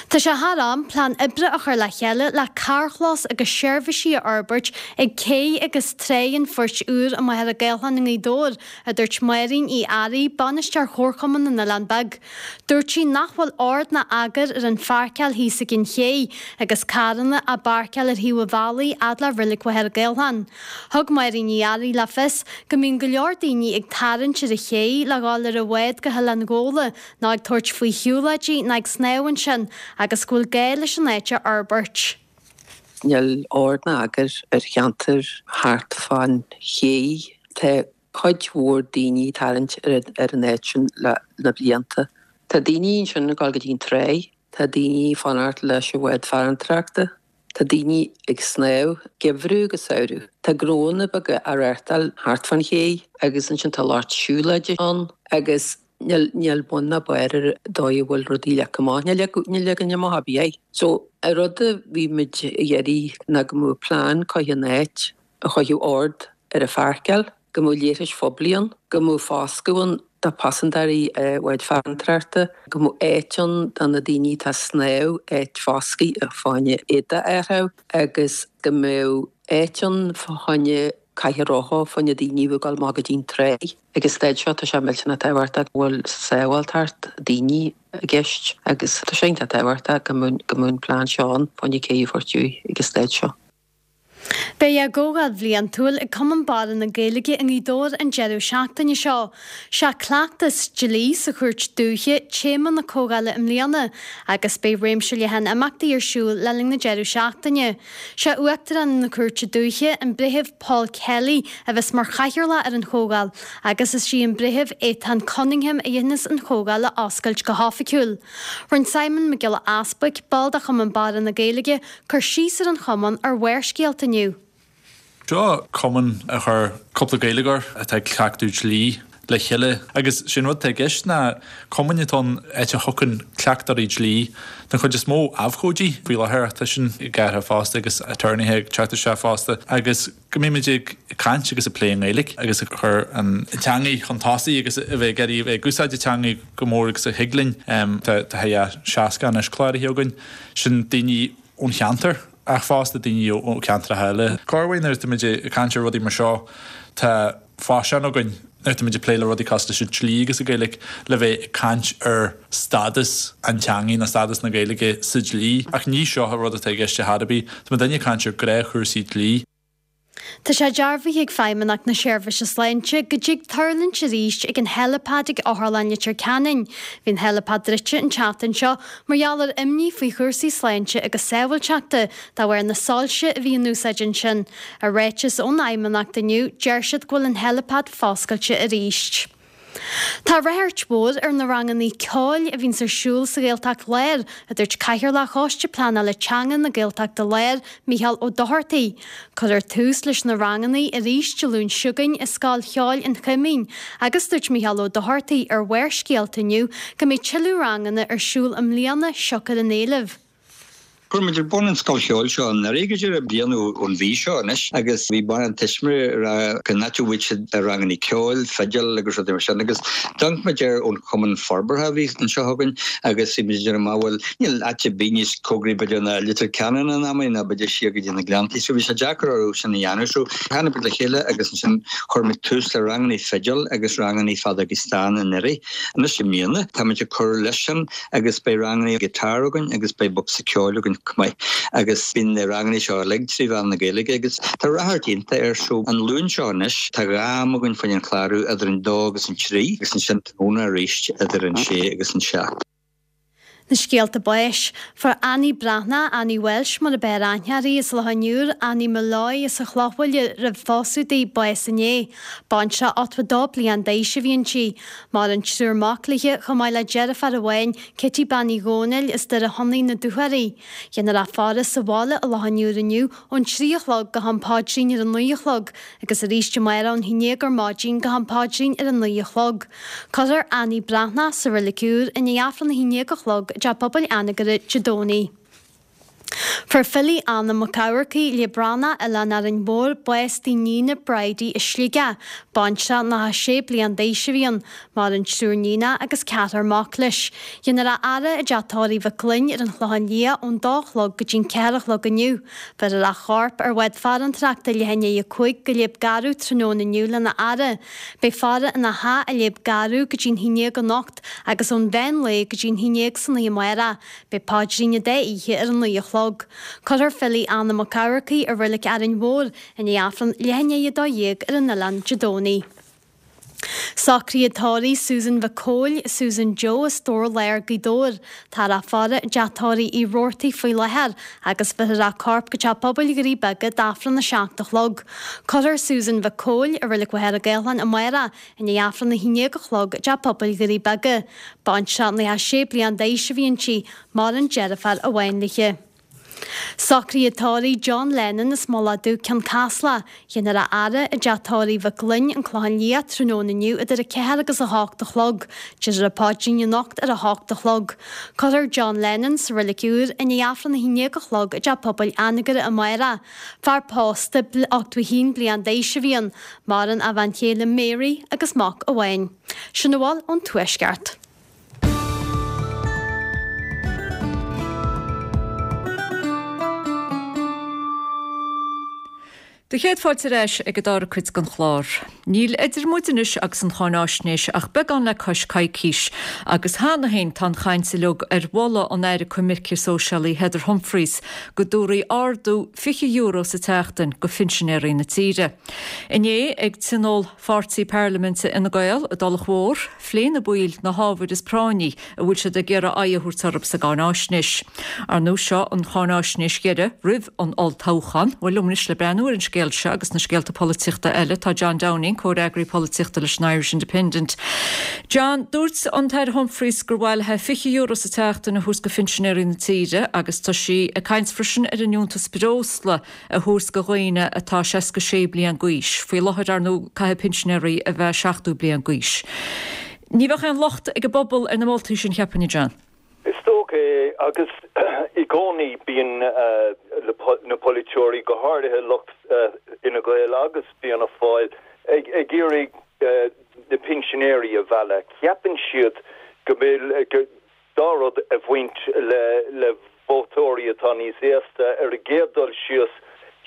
Tá sé thar am plean oibre a chur le chéile le carrchlós agus seirbhísí a fhorbairt ag cé agus Tráigh an Phoirt Úir i Machaire Gathlán i nGaoth Dobhair, a dúirt Máirín Uí Fhearraigh, Bainisteoir Chomharchumann na nOileán Beag. Dúirt sí nach bhfuil ord ná eagar ar an pháirceáil thíos ag an ché agus carranna á bpáirceáil ar thaobh an bhealaigh fhad le Reilig Mhachaire Gathlán. Thug Máirín Uí Fhearraigh le fios go mbíonn go leor daoine ag tarraingt ar an ché le dhul ar an bhád go hOileán Ghabhla ná ag tabhairt faoi shiúlóidí ná ag snámh ansin agus go bhfuil gá leis an áit a fhorbairt. Níl ord ná eagar ar cheantar thart fán ché. Tá cuid mhór daoine ag tarraingt ar an áit sin le na blianta. Tá daoine ansin ag dul go dtí an tráigh, tá daoine ag fanacht leis an bhád farantóireachta, tá daoine ag snámh, geimhreadh agus samhradh. Tá gnóanna beaga á reáchtáil thart fán ché agus ansin tá lucht siúlóide ann agus. Níl, níl bun ná barr ar an dóigh a bhfuil rudaí leagtha amach. Níl leagan amach ar bith air. So, an rud a bhí muid ag iarraidh ná go mbeadh plean curtha in áit a chuirfeadh ord ar an pháirceáil, go mbeadh leithris phoiblí ann, go mbeadh foscadh ann do phaisinéirí bháid farantóireachta, go mbeadh áit ann do na daoine atá ag snámh, áit foscaidh fá choinne éadaí a athrú agus go mbeadh áit ann fá choinne cathaoir rotha fá choinne daoine a bheith ag dul amach go dtí an tráigh. Ag an staid seo tá sé millteanach tábhachtach go bhfuil sábháilteacht daoine i gceist agus tá sé iontach tábhachtach go mbeadh an plean seo ann fá choinne céidh a thabhairt uaidh ag an staid seo. Beidh a gcomhdháil bhliantúil ag Cumann Barra na Gaeilge i nGaoth Dobhair an deireadh seachtaine seo. Sé cleachtas dlí sa Chúirt Dúiche téama na comhdhála i mbliana agus beidh réimse leathan imeachtaí ar siúl le linn na deireadh seachtaine. Sé Uachtarán na Cúirte Dúiche, an Breitheamh Paul Kelly, a bheas mar chathaoirleach ar an chomhdháil agus is í an Breitheamh Étáin Cunningham a dhéanfas an chomhdháil a oscailt go hoifigiúil. Rinne Simon Mac Giolla Easbuic, ball de Chumann Barra na Gaeilge, cur síos ar an chumann ar Bharrscéalta inniu. Seo cumann a chuir cúpla Gaeilgeoir atá ag cleachtadh dlí le chéile agus sé an rud atá i gceist ná cumann atá ann áit a thiocfainn cleachtóirí dlí, den chuid is mó abhcóidí faoi láthair ach tá sin ag athrú fosta agus aturnaetha ag teacht isteach fosta agus go mbeimid ag caint agus ag plé i nGaeilge agus ag cur an teangaidh chun tosaigh agus a bheith ag iarraidh a bheith ag úsáid an teangaidh go mór agus a thig linn. Tá tá 60 anois cláraithe againn. Sin daoine ón cheantar ach fosta daoine ó cheantracha eile. Corruair nuair atáimid ag caint ar rudaí mar seo tá faisean againn nuair atáimid ag plé le rudaí cosúil leis an dlí agus an Ghaeilge le bheith ag caint ar stádas an teangaidh nó stádas na Gaeilge sa dlí ach ní seo an rud atá i gceist ar chor ar bith. Tá muidinne ag caint ar ghnáthchúrsaí dlí. Tá sé dearbhaithe ag Feidhmeannacht na Seirbhíse Sláinte go dtig tuirlingt arís ag an helipad ag Otharlann Leitir Ceanainn. Bhí an helipad druidte an tseachtain seo mar gheall ar imní faoi chúrsaí sláinte agus sábháilteachta de bharr na soilse a bhí in úsáid ansin. I ráiteas ón Fheidhmeannacht inniu, deir siad go bhfuil an helipad foscailte arís. Tá ráchairt mhór ar na rangannaí ceoil a bhíonns ar siúl sa Ghaeltacht Láir, a dúirt Cathaoirleach Choiste Pleanála Teanga na Gaeltachta Láir, Micheál Ó Dochartaigh. Cuirfear tús leis na rangannaí arís Dé Luain seo chugainn i Scoil Cheoil an Choimín agus dúirt Micheál Ó Dochartaigh ar Bharrscéalta inniu go mbeidh tuilleadh ranganna ar siúl i mbliana siocair an éilimh. Chuir muid ar bun an scoil cheoil seo anuraidh go díreach, bliain ón mhí seo anois, agus bhí mórán tuismitheoirí ag rá cá háit a bhfaigheadh siad rangannaí ceoil, fidil agus rudaí mar sin agus d'amharc muid ar ón chumann forbartha a bhí anseo againn agus bhí muid ag déanamh amach bhuel níl áit ar bith níos cóngaraí b'fhéidir ná Leitir Ceanainn in amannaí ná b'fhéidir siar go dtí na Gleanntaí so bhí sé deacair orthu sin a dhéanamh so tháinig muid le chéile agus ansin chuir muid tús le rangannaí fidil agus rangannaí feadógaí stáin anuraidh. Anois i mbliana tá muid ag cur leis sin agus beidh rangannaí guitar againn agus beidh bocsa ceoil againn chomh maith agus bíonn na rangannaí seo uilig trí mheán na Gaeilge agus tá ráchairt iontach air so an Luan seo anois tá 2 am againn fá choinne an chlárú idir an 2 agus an 3 agus ansin tráthnóna arís idir an 6 agus an 7. Na scéalta báis. Fuair Annie Breathnach, Annie Walsh mar a b'fhearr aithne uirthi, as Loch an Iúir, Annie Molloy as an Chlochbhaile roimh phósadh di, bás inné. Baintreach 82 bliain d'aois a bhí inti. Maireann triúr mac léi, chomh maith le deirfiúr amháin, Kitty Bean Uí Dhónaill as Doire Shonnaigh na Dúchoraidh. Déanfar a faire sa bhaile i Loch an Iúir inniu ón 3 a chlog go ham paidrín ar a 9 a chlog agus arís amárach ón haon déag ar maidin go ham paidrín ar a 9 a chlog. Cuirfear Annie Breathnach sa Reilig Úr i ndiaidh Aifreann a haon déag a chlog i dTeach Pobail Anagaire Dé Domhnaigh. Fuair Philly Anna Mac Eamharcaigh, Liadh Breathnach, Oileán Árainn Mhór, bás dá níon Bridie i Sligeach. Baintreach 96 bliain d'aois a bhí ann. Maireann triúr níonach agus ceathrar mac leis. Déanfar a fhaire i dteach tórraimh Mhic Gloinn ar an Chlochán Liath ón dó a chlog go dtí'n ceathair a chlog inniu. Bheirfear a chorp ar bhád farantóireachta leath i ndiaidh a 5 go Léib Garbh tráthnóna inniu lena fhaire. Beidh faire ina theach i Léib Garbh go dtí'n haon déag anocht agus ón mheán lae go dtí'n haon déag san oíche amárach. Beidh paidrín an dá oíche ar a 9 a chlog. Cuirfear Philly Anna Mac Eamharcaigh i Reilig Árainn Mhór i ndiaidh Aifreann leath i ndiaidh 12 ar an oileán Dé Domhnaigh. Socruithe tórraimh Susan Mhic Cóil, Susan Joe as Dobhar Láir, Gaoth Dobhair. Táthar á faire i dteach tórraimh Uí Robhartaigh faoi láthair agus bheirfear a corp go Teach Pobail Dhoirí Beaga d'Aifreann a 7 a chlog. Cuirfear Susan Mhic Cóil i Reilig Mhachaire Gathlán amárach I ndiaidh Aifreann a haon déag a chlog i dTeach Pobail Dhoirí Beaga. Baintreach 96 bliain d'aois a bhí inti, maireann deirfiúr amháin léi. Socruithe tórraimh John Lennon as Mullach Dubh, Cionn Caslach. Déanfar a fhaire i dteach tórraimh Mhic Gloinn, An Clochán Liath, tráthnóna inniu idir 4 agus 8 a chlog. Déarfar an paidrín anocht ar a hocht a chlog. Cuirfear John Lennon sa Reilig Úr i ndiaidh Aifreann a 11 a chlog i dTeach Pobail Anagaire amárach. Fear pósta, 81 bliain d'aois a bhí ann. Maireann a bhean chéile Mary agus mac amháin. Sin a bhfuil ón Tuaisceart. Do chéad fáilte ar ais ag an dara cuid den chlár. Níl idir muid anois agus an cháináisnéis ach beagán le cois coicís, agus cheana féin tá an chaint uilig ar mholadh an Aire Coimirce Sóisialaí Heather Humphreys go dtabharfaí ardú €20 sa tseachtain go phinsinéirí na tíre. Inné ag tionól pháirtí parlaiminte Fhine Gael i dTulach Mhór, phléigh na baill na hábhair is práinní a bhfuil siad ag iarraidh aghaidh a thabhairt orthu sa gcáináisnéis. Ar ndóigh seo an cháináisnéis dheiridh roimh an olltoghchán. Bhuel, liom anois le breathnú ar an scéal seo agus na scéalta polaitíochta eile tá John Downing, comhfhreagraí polaitíochta leis an Irish Independent. John, dúirt an tAire Humphreys gur mhaith léi €20 sa tseachtain a thabhairt go phinsinéirí na tíre agus tá sí ag caint freisin ar an liúntas breosla a thabhairt go dhaoine atá 66 bliain d'aois. Faoi láthair, ar ndóigh, caithfidh pinsinéirí a bheith 70 bliain d'aois. Ní bheadh aon locht ag an bpobal ar na moltaí sin, cheapfainn, a John. Is dócha é, agus i gcónaí bíonn na polaiteoirí, go háirithe lucht Fhine Gael agus Fianna Fáil, ag iarraidh na pinsinéirí a mhealladh. Ceapann siad go bhfuil dá rud a bhaint le vótóirí atá níos aosta. Ar an gcéad dul síos,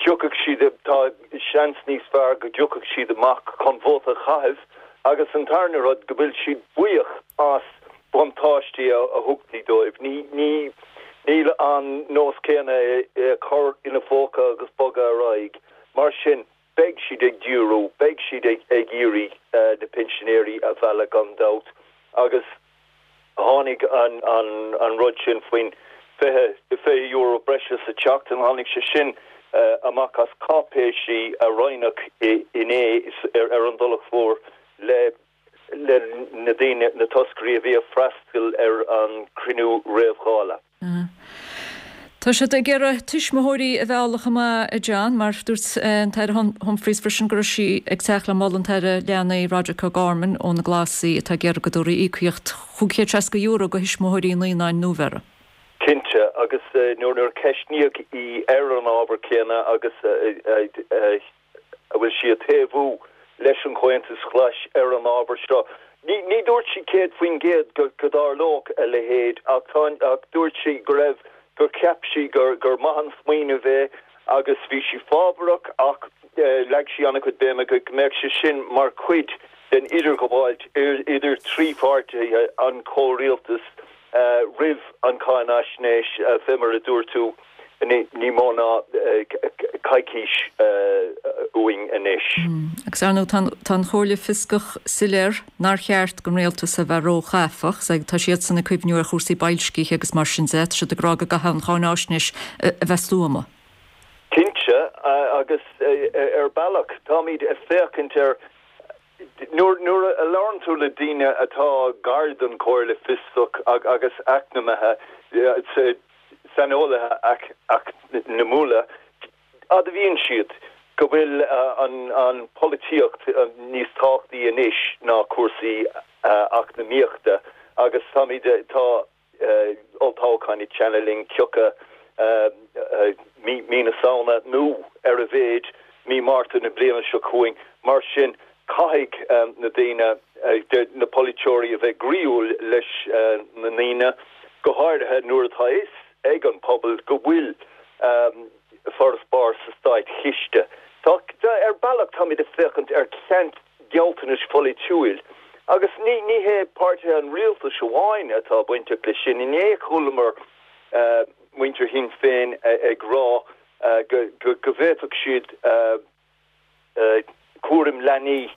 tiocfaidh siad, tá seans níos fearr go dtiocfaidh siad amach chun vóta a chaitheamh agus an tarna rud, go bhfuil siad buíoch as buntáistí a thugtaí dóibh. Ní, níl an nós céanna é a chur ina phóca agus bogadh ar aghaidh. Mar sin, beidh siad ag díriú, beidh siad ag iarraidh na pinsinéirí a mhealladh gan dabht agus Tháinig an rud sin faoin €20 breise sa tseachtain, tháinig sé sin amach as cáipéisí a roinneadh inné ar an dTulach Mhór le na daoine, na toscairí a bhí ag freastal ar an chruinniú réamh-Dhála. Tá siad ag iarraidh tuismitheoirí a mhealladh chomh maith, a John, mar dúirt an tAire Humphreys freisin go raibh sí ag teacht le moladh an tAire Leanaí Roderic O'Gorman ó na Glasaigh atá ag iarraidh go dtabharfaí íocaíocht €560 do thuismitheoirí naíonáin nuabheirthe. Cinnte, agus nuair a ceistníodh í ar an ábhar céanna agus a bhfuil sí ag taobhú leis an Chomhaontas Ghlais ar an ábhar seo. Ní dúirt sí 100% go dtarlódh a leithéid ach ach dúirt sí go raibh, gur cheap sí gur gur maith an smaoineamh é agus bhí sí fábharach ach leag sí an-chuid béime go mbeadh sé sin mar chuid den idirghabháilt idir trí pháirtithe an chomhrialtais roimh an cháinaisnéis, fé mar a dúirt tú, ní mó ná coicís uainn anois. Agus ar ndóigh tá an Chomhairle Fioscach soiléir nár cheart don rialtas a bheith róchaifeach, tá siadsan ag cuimhniú ar chúrsaí boilscithe agus mar sin de, tá siad ag rá go gcaithfidh an cháinaisnéis a bheith stuama. Cinnte, agus ar bealach táimid ag féachaint ar Nuair a labhrann tú le daoine atá gar don Chomhairle Fioscach agus eacnamaithe, saineolaithe eacnamúla, admhaíonn siad go bhfuil an pholaitíocht níos tábhachtaí anois ná cúrsaí eacnamaíochta agus táimid, tá olltoghchán ag teannadh linn thiocfadh mí na Samhna nó ar a mhéid mí Márta na bliana seo chugainn. Mar sin, caithfidh na daoine, na polaiteoirí a bheith groíúil leis na ndaoine, go háirithe nuair atá a fhios ag an pobal go bhfuil farasbarr sa státchiste. Tá, ar bealach, táimid ag féachaint ar cheant gealltanais pholaitiúil. Agus ní ní hé páirtithe an rialtais amháin atá bainteach leis sin. Inné chualamar muintir Shinn Féin ag rá go go bhféadfadh siad cúram leanaí,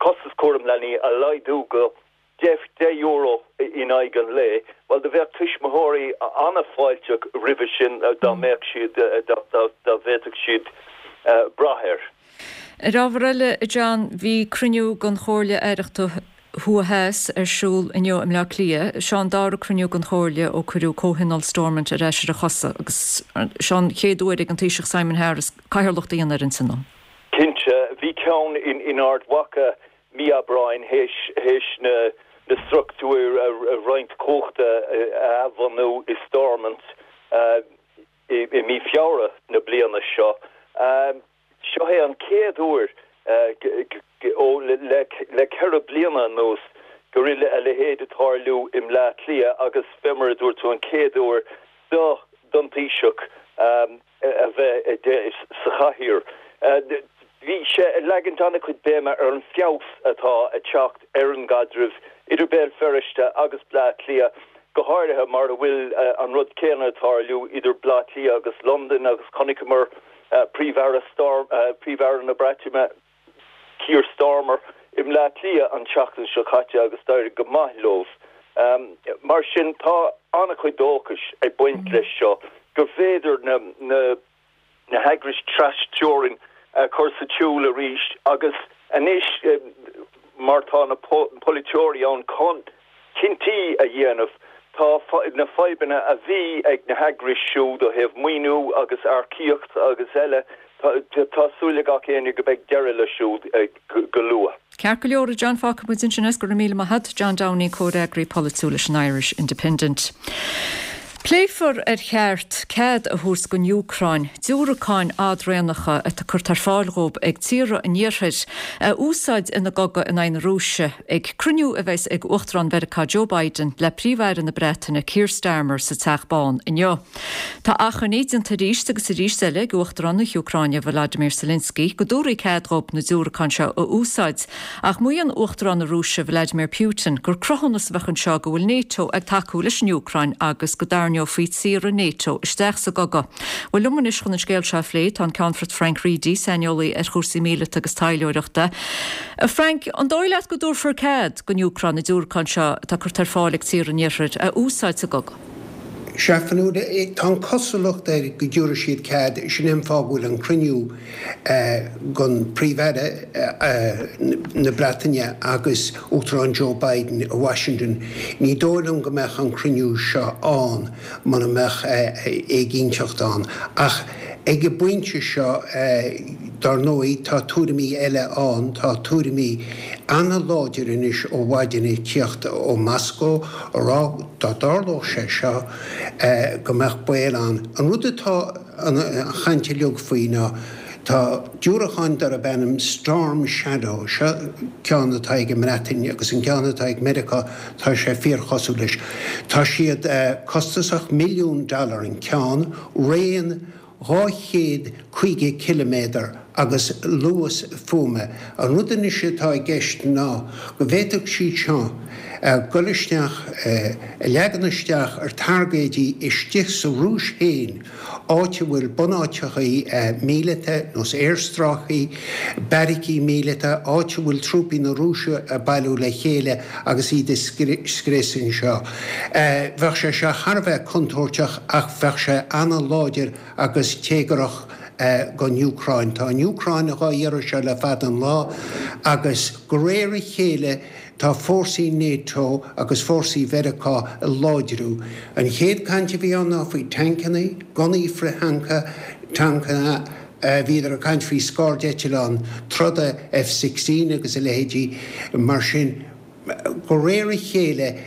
costas cúram leanaí a laghdú go €10 in aghaidh an lae, bhuel do bheadh tuismitheoirí an-fháilteach roimhe sin dá mbeadh siad, dá bhféadfadh siad brath air. Ar ábhar eile, a John, bhí cruinniú den Chomhairle Aireachta. Thuaidh Theas ar siúl inniu i mBleá Cliath. Seo an dara cruinniú den Chomhairle ó cuireadh Comhthionól Stormont ar ais ar a chosa agus seo an chéad uair ag an Taoiseach Simon Harris cathaoirleacht a dhéanamh ar an tionól. Cinnte, bhí ceann in Ard Mhacha mí Aibreáin théis na struchtúir a roinnt cumhachta a athbhunú i Stormont i mí Feabhra na bliana seo. Seo é an chéad uair le 4 bliana anuas go bhfuil a leithéid ag tarlú i mBleá Cliath agus fé mar a dúirt tú an chéad uair don Taoiseach a bheith sa chathaoir. Bhí sé ag leagaint an-chuid béime ar an feabhas atá ag teacht ar an gcaidreamh idir Béal Feirste agus Bleá Cliath, go háirithe mar a bhfuil an rud céanna ag tarlú idir Bleá Cliath agus Londain agus chonaiceamar Príomh-Aire Príomh-Aire na Breataine, Keir Starmer, i mBleá Cliath an tseachtain seo caite agus d'éirigh go maith leo. Mar sin, tá an-chuid dóchais ag baint leis seo gur féidir na na heagrais trasteorann a chur sa tsiúl arís agus anois mar tá na polaiteoirí ann chun cinntí a dhéanamh. Tá na fadhbanna a bhí ag na heagrais siúd ó thaobh maoiniú agus earcaíocht agus eile, tá súil ag gach éinne go mbeidh deireadh leis siúd go luath. Ceart go leor, a John, fágfaidh muid ansin é. Go raibh míle maith agat, John Downey, comhfhreagraí polaitiúil leis an Irish Independent. Pléifear ar cheart cead a thabhairt don Úcráin diúracáin fhadraonacha atá curtha ar fáil dhóibh ag tíortha an Iarthair a úsáid ina gcogadh in aghaidh na Rúise. Ag cruinniú a bheas ag Uachtarán Mheiriceá Joe Biden le Príomh-Aire na Breataine Keir Starmer sa Teach Bán inniu. Tá achainí déanta arís agus arís eile ag Uachtarán na hÚcráine Volodymyr Zelensky go dtabharfaí cead dhóibh na diúracáin seo a úsáid ach maíonn Uachtarán na Rúise Vladimir Putin gur cruthúnas a bheadh anseo go bhfuil NATO ag tacú leis an Úcráin agus go dtarraingeofaí tíortha NATO isteach sa gcogadh. Bhuel liom anois chun an scéal seo a phlé tá an Ceannfort Frank Reidy, saineolaí ar chúrsaí míleata agus taidhleoireachta. A Frank, an dóigh leat go dtabharfar cead don Úcráin na diúracáin seo atá curtha ar fáil ag tíortha an Iarthair a úsáid sa gcogadh? Sea, Fionnuala, tá an chosúlacht air go dtabharfaidh siad cead, sin é an fáth go bhfuil an cruinniú gon Príomh-Aire na Breataine agus Uachtarán Joe Biden i Washington. Ní dóigh liom go mbeadh an cruinniú seo ann muna mbeadh éiginnteacht ann. Ach ag an bpointe seo, Dar ndóigh, tá tuairimí eile ann, tá tuairimí an-láidir anois ó mhaidin ag tíocht ó Moscó a rá dá dtarlódh sé seo go mbeadh baol ann. An rud atá an chaint uilig faoi ná tá diúracáin darb ainm Storm Shadow, seo ceann atá ag an mBreatain agus an ceann atá ag Meiriceá, tá sé fíorchosúil leis. Tá siad costasach, milliún dollar an ceann, raon 250 ciliméadar agus luas fuaime. An rud anois atá i gceist ná go bhféadfadh siad seo dul isteach, a leagan isteach ar targaidí istigh sa Rúis féin, áit a bhfuil bunáiteachaí míleata, nós aerstráicí, beairicí míleata, áit a bhfuil trúpaí na Rúise ag bailiú le chéile agus iad a scrios anseo. Bheadh sé seo thar a bheith contúirteach ach bheadh sé an-láidir agus téagarach don Úcráin. Tá an Úcráin dhá iarraidh seo le fada an lá agus de réir a chéile tá fórsaí NATO agus fórsaí Mheiriceá ag láidriú. An chéad caint a bhí ann ná faoi tancanna, gunnaí frith-thanca, tancanna, bhíodar ag caint faoi scairdeitleáin troda F-16 agus a leithéidí mar sin. De réir a chéile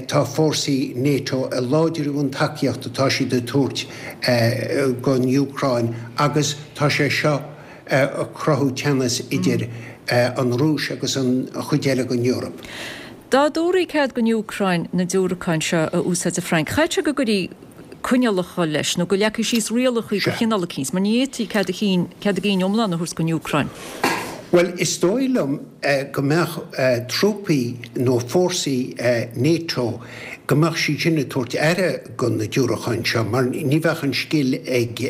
tá fórsaí NATO ag láidriú an tacaíocht atá siad ag tabhairt don Úcráin agus tá sé seo ag cruthú teannas idir an Rúis agus an chuid eile den Eoraip. Dá dtabharfaí cead don Úcráin na diúracáin seo a úsáid, a Frank, chaithfeadh sé go gcuirfí coinníollacha leis nó go leagfaí síos rialacha de chineál eicínt, mar ní fhéadfaí cead a chinn, cead a gcinn iomlán a thabhairt don Úcráin. Bhuel, is dóigh liom go mbeadh trúpaí nó fórsaí NATO, go mbeadh siad sin ag tabhairt aire do na diúracáin seo, mar ní bheadh an scil ag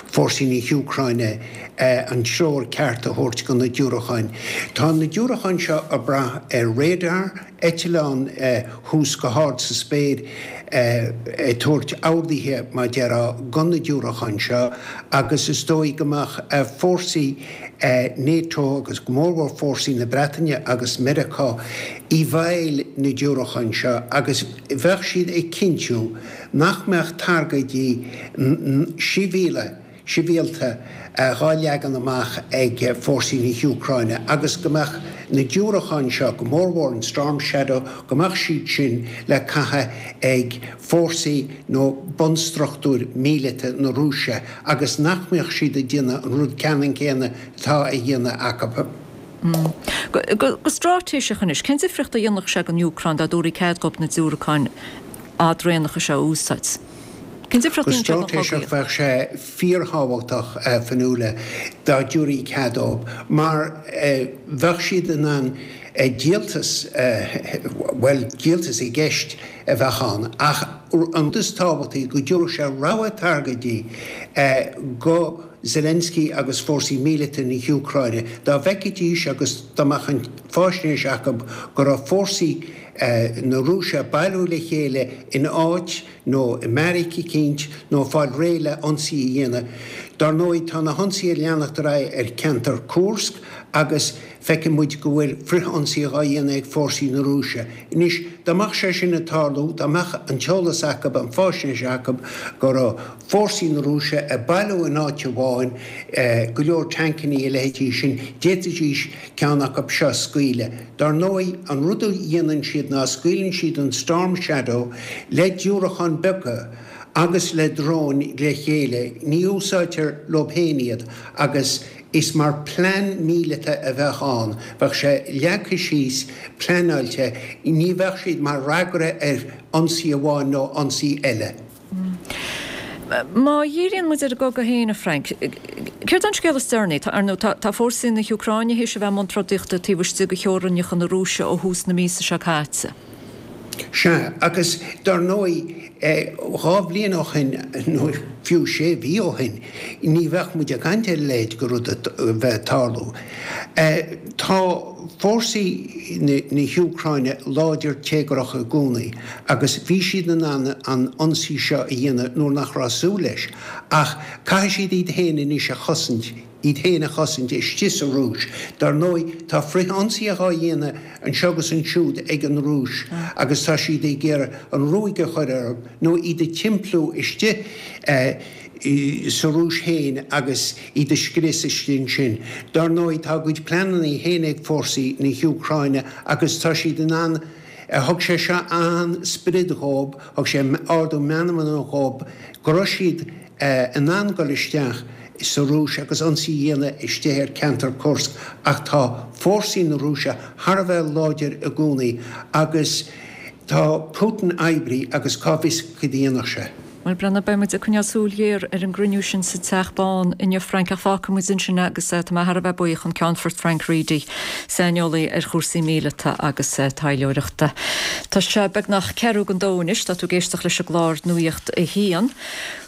fórsaí na hÚcráine an treoir ceart a thabhairt do na diúracáin. Tá na diúracáin seo ag brath ar radar. Eitleán thuas go hard sa spéir ag tabhairt orduithe, mar a déarfá, do na diúracáin seo agus is dóigh go mbeadh fórsaí NATO agus go mórmhór fórsaí na Breataine agus Meiriceá i bhfeighil na diúracán seo agus bheadh siad ag cinntiú nach mbeadh targaidí sibhialta sibhialta dhá leagan amach ag fórsaí na hÚcráine agus go mbeadh na diúracáin seo, go mórmhór an Storm Shadow, go mbeadh siad sin le caitheamh ag fórsaí nó bunstruchtúir míleata na Rúise agus nach mbeadh siad ag déanamh an rud ceannann céanna atá á dhéanamh acu. Go straitéiseach anois, cén difríocht a dhéanfadh sé don Úcráin dá dtabharfaí cead dhóibh na diúracáin fhadraonacha seo a úsáid? Cén difríocht a dhéanfadh sé don chogaíocht? Go straitéiseach bheadh sé fíorthábhachtach, a Fionnuala, dá dtabharfaí cead dóibh, mar bheadh siad in ann díoltas, bhuel, díoltas i gceist a bheadh ann, ach an rud is tábhachtaí, go dtabharfadh sé rogha targaidí go Zelensky agus fórsaí míleata na hÚcráine, dá bhfeicfidís agus dá mbeadh an fáisnéis acu go raibh fórsaí na Rúise ag bailiú le chéile in áit nó i mbeairic eicínt nó ag fáil réidh le ionsaí a dhéanamh. Dar ndóigh, tá na hionsaithe ag leanacht ar aghaidh ar cheantar Kursk agus feiceann muid go bhfuil frith-ionsaí dhá dhéanamh ag fórsaí na Rúise. Anois, dá mbeadh sé sin ag tarlú, dá mbeadh an t-eolas acu, an fáisnéis acu go raibh fórsaí na Rúise ag bailiú in áit amháin, go leor tancannaí, a leithéidí sin, d'fhéadfaidís ceann acu seo a scaoileadh. Dar ndóigh, an rud a dhéanann siad ná scaoileann siad an Storm Shadow le diúracáin beaga agus le dróin le chéile, ní úsáidtear leo féin iad agus is mar plean míleata a bheadh ann, bheadh sé leagtha síos, pleanáilte, ní bheadh siad mar fhreagra ar ionsaí amháin nó ionsaí eile. Má dhíríonn muid ar an gcogadh féin, a Frank, céard é an scéal is deireanaí? Ar ndóigh, tá fórsaí na hÚcráine théis a bheith i mbun trodaíochta taobh istigh de theorainneacha na Rúise ó thús na míosa seo caite. Sea, agus dar ndóigh, 2 bhliain ó shin, nó fiú sé mhí ó shin, ní bheadh muid ag caint ar a leithéid de rud a bheith ag tarlú. Tá fórsaí na hÚcráine láidir téagarach i gcónaí agus bhí siad in ann an ionsaí seo a dhéanamh nuair nach raibh súil leis ach caithfidh siad iad féin anois a chosaint, iad féin a chosaint istigh sa Rúis. Dar ndóigh, tá frith-ionsaithe á dhéanamh anseo agus ansiúd ag an Rúis agus tá siad ag iarraidh an ruaig a chur orthu nó iad a thimpeallú istigh sa Rúis féin agus iad a scrios istigh ansin. Dar ndóigh, tá a gcuid pleananna féin ag fórsaí na hÚcráine agus tá siad in ann, thug sé seo an-sprid dhóibh, thug sé ardú meanmna dhóibh go raibh siad in ann dul isteach sa Rúis agus ionsaí a dhéanamh istigh ar cheantar Kursk ach tá fórsaí na Rúise thar a bheith láidir i gcónaí agus tá Putin oibrithe agus cá bhfios cad a dhéanfadh sé. Bhuel, Breandán, beidh muid ag coinneáil súil ghéar ar an gcruinniú sin sa Teach Bán inniu, Frank, ach fágfaidh muid ansin é agus tá mé thar a bheith buíoch an Ceannfort Frank Reidy, saineolaí ar chúrsaí míleata agus taidhleoireachta. Tá sé beagnach ceathrú don dó anois, tá tú ag éisteacht leis an gclár Nuacht a hAon.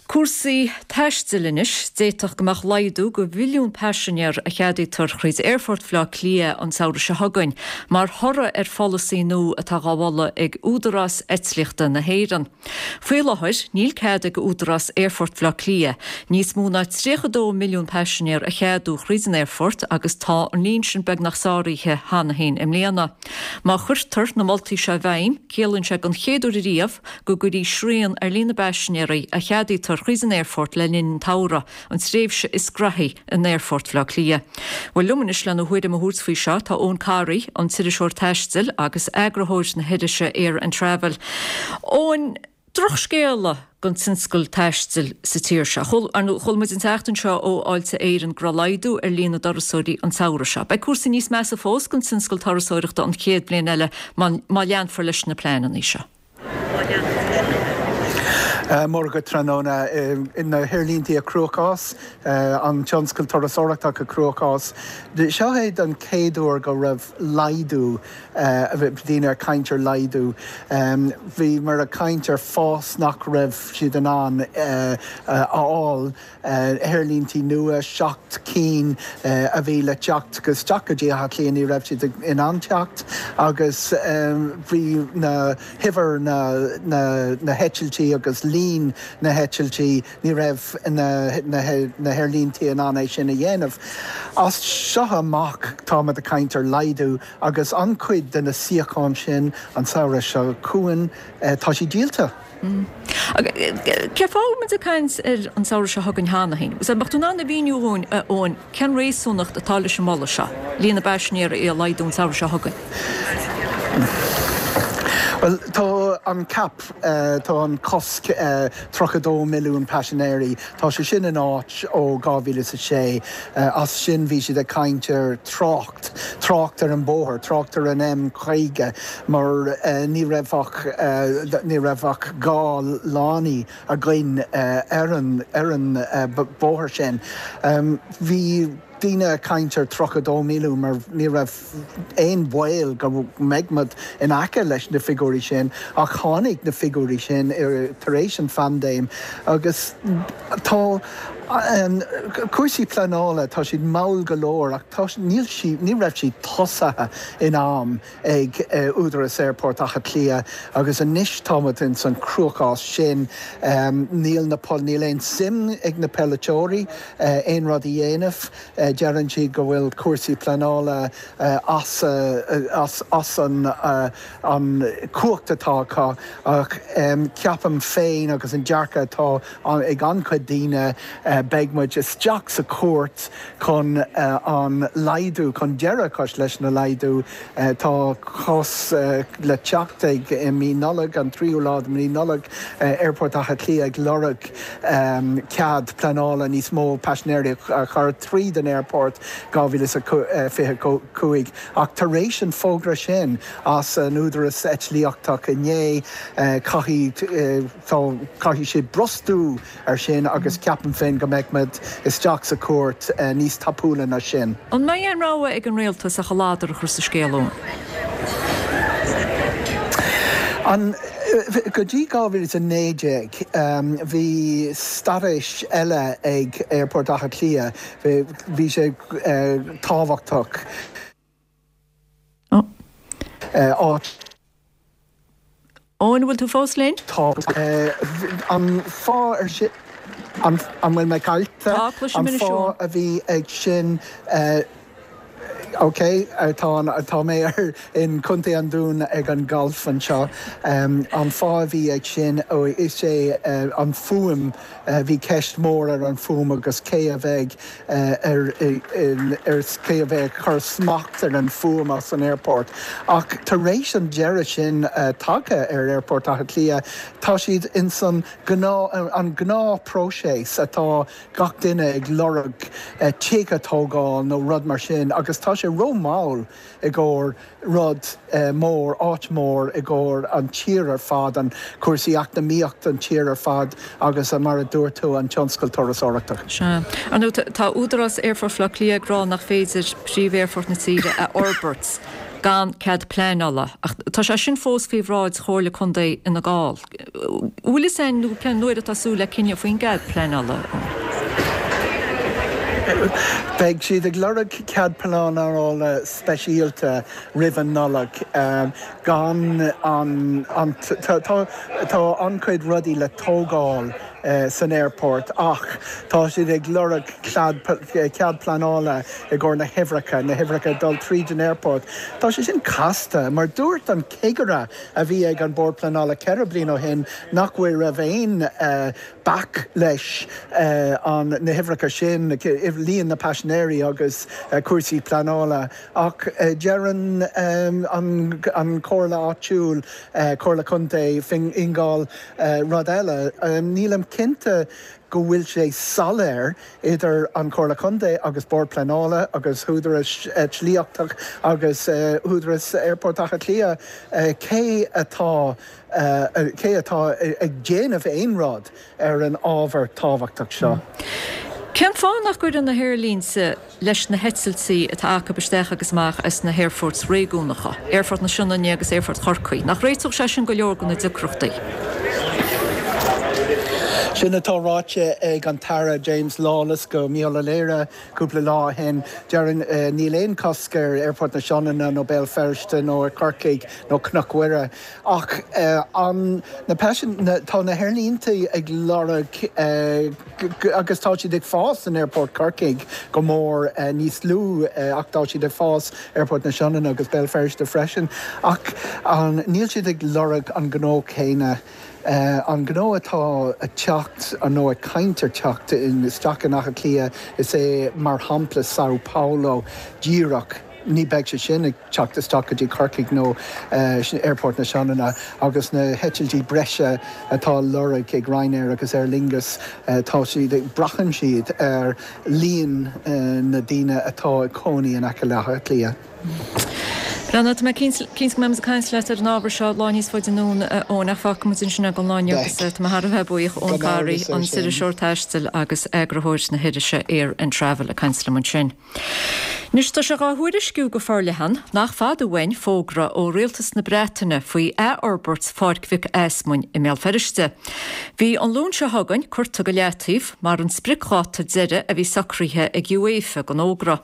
Cúrsaí taistil anois, d'fhéadfadh go mbeadh laghdú go mhilliún paisinéir a cheadaítear thríd Aerfort Bhaile Átha Cliath an samhradh seo chugainn mar thoradh ar pholasaí nua atá dhá mholadh ag Údarás Eitlíochta na hÉireann. Faoi láthair, níl cead ag Údarás Aerfort Bhaile Átha Cliath níos mó ná 32 milliún paisinéir a cheadú thríd an aerfort agus tá an líon sin beagnach sáraithe cheana féin i mbliana. Má chuirtear na moltaí seo i bhfeidhm, ciallaíonn sé don chéad uair ariamh go gcuirfí srian ar líon na bpaisinéirí a cheadaítear thríd an aerfort le linn an tsamhraidh, an tréimhse is graithí in Aerfort Bhaile Átha Cliath. Bhuel, liom anois lena thuairim a thabhairt faoi seo tá Eoin Corry, an t-iriseoir taistil agus eagarthóir na hirise Air and Travel. Eoin, drochscéala don tionscal taistil sa tír seo. Ar ndóigh, chuala muid an tseachtain seo ó Fháilte Éireann go raibh laghdú ar líon na dturasóirí an samhradh seo. Beidh cúrsaí níos measa fós don tionscal turasóireachta an chéad bhliain eile má leanfar leis na pleananna seo. Móra dhuit tráthnóna. Na haerlíntí i gcruachás, an tionscal turasóireachta i gcruachás. Seo é don chéad uair go raibh laghdú, daoine ag caint ar laghdú. Bhíomar ag caint ar fás nach raibh siad in ann a fháil. Aerlíntí nua, 7 cinn a bhí le teacht isteach go dtí Áth Cliath, ní raibh siad in ann teacht agus bhí na huimhir na na heitiltí agus líon na heitiltí, ní raibh na na haerlíntí in ann é sin a dhéanamh. As seo amach táimid ag caint ar laghdú agus an-chuid de na suíocháin sin an samhradh seo chugainn, tá siad díolta. Cén fáth a bhfuil muid ag caint ar an samhradh seo chugainn cheana féin? Agus an mbeadh tú in ann a mhíniú dhúinn, a Eoin, cén réasúnacht atá leis an moladh seo, líon na bpaisinéirí a laghdú an samhradh seo chugainn? Bhuel, tá an cap, tá an cosc 32 milliún paisinéirí, tá sé sin in áit ó 2006. As sin bhí siad ag caint ar trácht. trácht ar an bóthar, trácht ar an M50 mar ní raibh ach, ní raibh ach 2 lánaí againn ar an, ar an bóthar sin. Bhí daoine ag caint ar 32 milliún mar ní raibh aon bhaol go mbeidh muid in aice leis na figiúirí sin ach tháinig na figiúirí sin tar éis an phaindéim agus tá Cúrsaí pleanála, tá siad mall go leor ach tá, níl sí, ní raibh siad tosaithe in am ag Údarás Aerfort Átha Cliath agus anois tá muid ins an cruachás sin. Níl na, níl aon suim ag na polaiteoirí aon rud a dhéanamh. Deireann siad go bhfuil cúrsaí pleanála as, as, as an, an chumhacht atá acu ach ceapaim féin agus an dearcadh atá ag an-chuid daoine, beidh muid isteach sa chúirt chun an laghdú, chun deireadh a chur leis na laghdú. Tá cás le teacht ag i mí Nollag, an tríú lá de mhí Nollag, Aerfort Átha Cliath ag lorg cead pleanála níos mó paisinéirí a chur tríd an aerfort 2025. Ach tar éis an fógra sin as an Údaras Eitlíochtach inné, caithfidh. Tá, caithfidh siad brostú ar sin agus ceapaim féin go mbeidh muid isteach sa chúirt níos tapúla ná sin. An mbeidh aon rogha ag an rialtas ach a ladar a chur sa scéal, Eoin? An, go dtí 2019 bhí staitéis eile ag Aerfort Átha Cliath, bhí sé tábhachtach. Áit. Eoin, an bhfuil tú fós linn? Tá. An fáth ar sin, an bhfuil mé caillte? Tá, cloisim An anois fáth Eoin. a bhí ag sin, ok, tá an, tá mé ar, in Contae an Dúin ag an galf anseo. An fáth a bhí ag sin, is é an fuaim, Bhí ceist mhór ar an fuaim agus cé a bheidh ar ar cé a bheidh ag cur smacht ar an fuaim as an aerfort. Ach tar éis an deireadh sin tagtha ar Aerfort Átha Cliath, tá siad ins an gnáth an gnáth próiseas atá gach duine ag lorg tigh a tógáil nó rud mar sin agus tá sé ró-mhall i gcomhair rud mór, áit mhór i gcomhair an tír ar fad, an cúrsaí eacnamaíocht an tír ar fad agus mar a dúirt tú an tionscal turasóireachta. Sea. Ar ndóigh, tá Údarás Aerfort Bhaile Átha Cliath ag rá nach féidir príomh-aerfort na tíre a fhorbairt gan cead pleanála ach tá sé sin fós faoi bhráid Chomhairle Contae Fhine Gall. Bhfuil fhios a'inn nó cén uair atá súil le cinneadh faoin gcead pleanála? Beidh siad ag lorg cead pleanála speisialta roimh an Nollaig. Gan an an tá tá an-chuid rudaí le tógáil san aerfort ach tá siad ag lorg cead cead pleanála i gcomhair na huimhreacha, na huimhreacha ag dul tríd an aerfort. Tá sé sin casta mar dúirt an cigire a bhí ag an Bord Pleanála 4 bliain ó shin nach bhfuil raibh aon bac leis an na huimhreacha sin, líon na paisinéirí agus cúrsaí pleanála ach deireann an an Chomhairle áitiúil, Comhairle Contae Fhine Gall rud eile. Nílim. cinnte go bhfuil sé soiléir idir an Chomhairle Contae agus Bord Pleanála agus hÚdarais Eitlíochta agus Údaras Aerfort Átha Cliath cé atá cé atá ag déanamh aon rud ar an ábhar tábhachtach seo. Cén fáth nach gcuireann na haerlínte leis na heitiltí atá acu isteach agus amach as na haerfoirt réigiúnacha, Aerfort na Sionainne agus Aerfort Chorcaí? Nach réiteodh sé sin go leor de na deacrachtaí? Sin atá ráite ag an tAire James Lawless go Mícheál Ó Laoire cúpla lá ó shin. Déarfainn níl aon chosc ar Aerfort na Sionainne nó Béal Feirste nó ar Chorcaigh nó Cnoc Mhuire. Ach an, na paisin, tá na haerlínte ag lorg agus tá siad ag fás in Aerfort Chorcaí go mór, níos lú ach tá siad ag fás Aerfort na Sionainne agus Béal Feirste freisin. Ach an, níl siad ag lorg an gnó céanna, an gnó atá ag teacht nó ag caint ar teacht isteach in Áth Cliath, is é mar shampla Sao Paulo díreach, ní beidh sé sin ag. teacht isteach go dtí Corcaigh nó Aerfort na Sionainne agus na heitiltí breise atá á lorg ag Ryanair agus Aer Lingus, tá siad, braitheann siad ar líon na daoine atá ag cónaí in aice le hÁth Cliath. Bhuel, tá mé cinnte go mbeidh muid ag caint leat ar an ábhar seo lá níos faide anonn, a Eoin, ach fágfaidh muid ansin é don lá inniu agus tá mé thar a bheith buíoch, Eoin Garry, an t-iriseoir taistil agus eagarthóir na hirise Air and Travel ag caint liom ansin. Anois tá sé dhá thuairisciú go forleathan nach fada uainn fógra ó Rialtas na Breataine faoi athfhorbairt Pháirc Mhic Easmainn i mBéal Feirste. Bhí an Luan seo chugainn curtha go leataobh mar an spriocdháta deiridh a bhí socraithe ag UEFA don fhógra.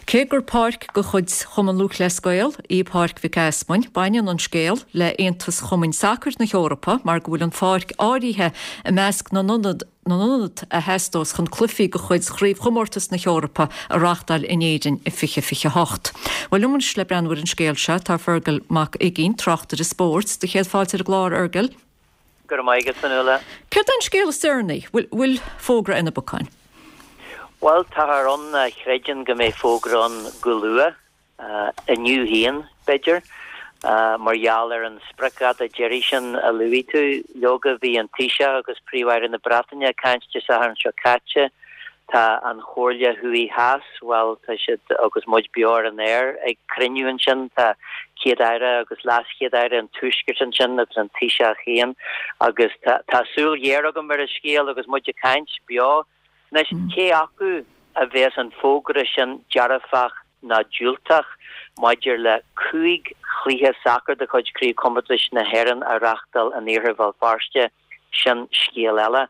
Cé gur páirc de chuid Chumann Lúthchleas Gael í Páirc Mhic Easmainn, baineann an scéal le Aontas Chumainn Sacair na hEorpa mar go bhfuil an pháirc áirithe i measc na n-ionad na n-ionad a theastós chun cluichí de chuid Chraobhchomórtas na hEorpa a reáchtáil in Éirinn i 2028. Bhuel, liom anois le breathnú ar an scéal seo tá Fergal Mac Uiginn, tráchtaire spóirt. Do chéad fáilte ar an gclár, a Fhergail. Go raibh maith agat, Fionnuala. Céard é an scéal is deireanaí? Bhfuil fógra ar na bacáin? Bhuel, táthar ann a chreideann go mbeidh fógra ann go luath. Inniu féin, b'fhéidir, mar gheall ar an spriocdháta deiridh sin a luaigh tú. Leoga, bhí an Taoiseach agus Príomh-Aire na Breataine ag caint Dé Sathairn seo caite. Tá an Chomhairle Thuaidh Theas, bhuel, tá siad, agus muid beo ar an aer, ag cruinniú ansin. Tá Céad-Aire agus LeasChéad-Aire an Tuaiscirt ansin agus an Taoiseach féin. Agus tá súil ghéar agam ar an scéal agus muid ag caint beo. Anois, cé acu a bheas an fógra sin dearfach ná diúltach maidir le 5 chluiche sacair de chuid Chraobhchomórtais na hÉireann a reáchtáil in iarthar Bhéal Feirste, sin scéal eile.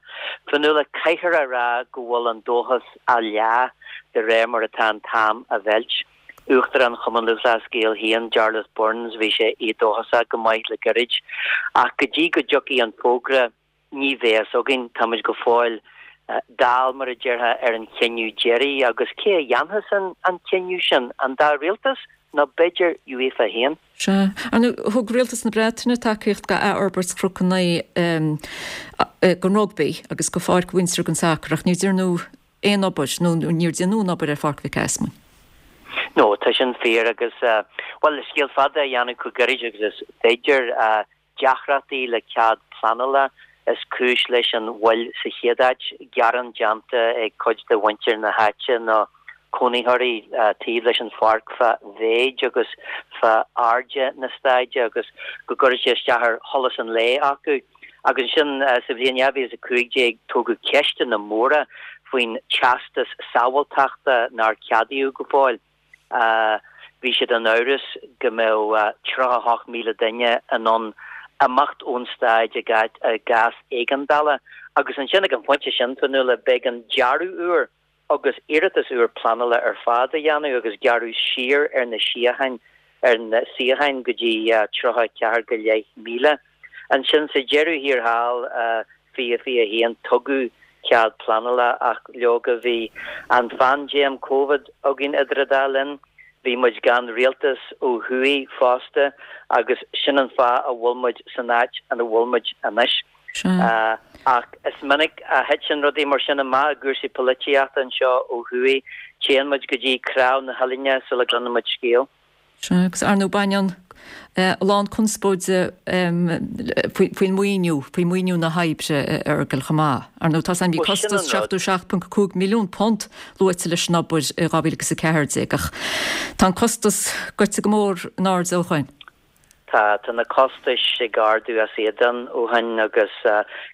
Fionnuala, caithfear a rá go bhfuil an dóchas á leá de réir mar atá an t-am á mheilt. Uachtarán Chumann Lúthchleas Gael féin, Jarlath Burns, bhí sé éadóchasach go maith le gairid. Ach go dtí go dtiocfaidh an fógra, ní bheidh a fhios againn. Táimid go fóill dall, mar a déarfá, ar an chinneadh deiridh agus cé a dhéanfas an cinneadh sin? An dá rialtas nó b'fhéidir UEFA féin? Sea. Ar ndóigh, thug rialtas na Breataine tacaíocht do athfhorbairt Chnoc an Naoi don rugbaí agus do Pháirc Windsor don sacar ach níor déanadh aon obair nó níor déanadh an obair ar Pháirc Mhic Easmainn. No, tá sin fíor agus, bhuel, le scéal fada a dhéanamh chomh gairid agus is féidir, Deacrachtaí le cead pleanála is cúis leis an mhoill sa chéad áit, gearán déanta ag cuid de mhuintir na háite nó cónaitheoirí taobh leis an pháirc fá mhéid agus fá airde na staide agus go gcuireann sé isteach ar sholas an lae acu. Agus ansin sa bhliain 2015 tógadh ceisteanna móra faoin teastas sábháilteachta nár ceadaíodh go fóill. Bhí siad in amhras go mbeadh 38,000 duine in ann imeacht ón staid i gcás éigeandála agus ansin ag an phointe sin, Fionnuala, b'éigean dearadh úr agus iarratas úr pleanála ar fad a dhéanamh agus gearradh siar ar na suíocháin ar na suíocháin go dtí 34 go leith míle. Ansin sa deireadh thiar thall, 2021, tugadh cead pleanála ach leoga bhí an phaindéim Covid againn idir an dá linn, bhí muid gan rialtas ó thuaidh fosta agus sin an fáth a bhfuil muid san áit ina bhfuil muid anois. Ach is minic a thiteann rudaí mar sin amach i gcúrsaí polaitíochta anseo ó thuaidh, téann muid go dtí cnámh na huillinne sula gcluineann muid scéal. Sea, agus ar ndóigh baineann. a lán conspóide faoin maoiniú, faoi mhaoiniú na hoibre a Fheargail chomh maith. Ar ndóigh, tá a fhios againn bhí costas £77.5 milliún luaite leis an obair i 2014 ach tá an costas goite go mór in airde ó shoin. Tá, tá na costais ag ardú as éadan ó shoin agus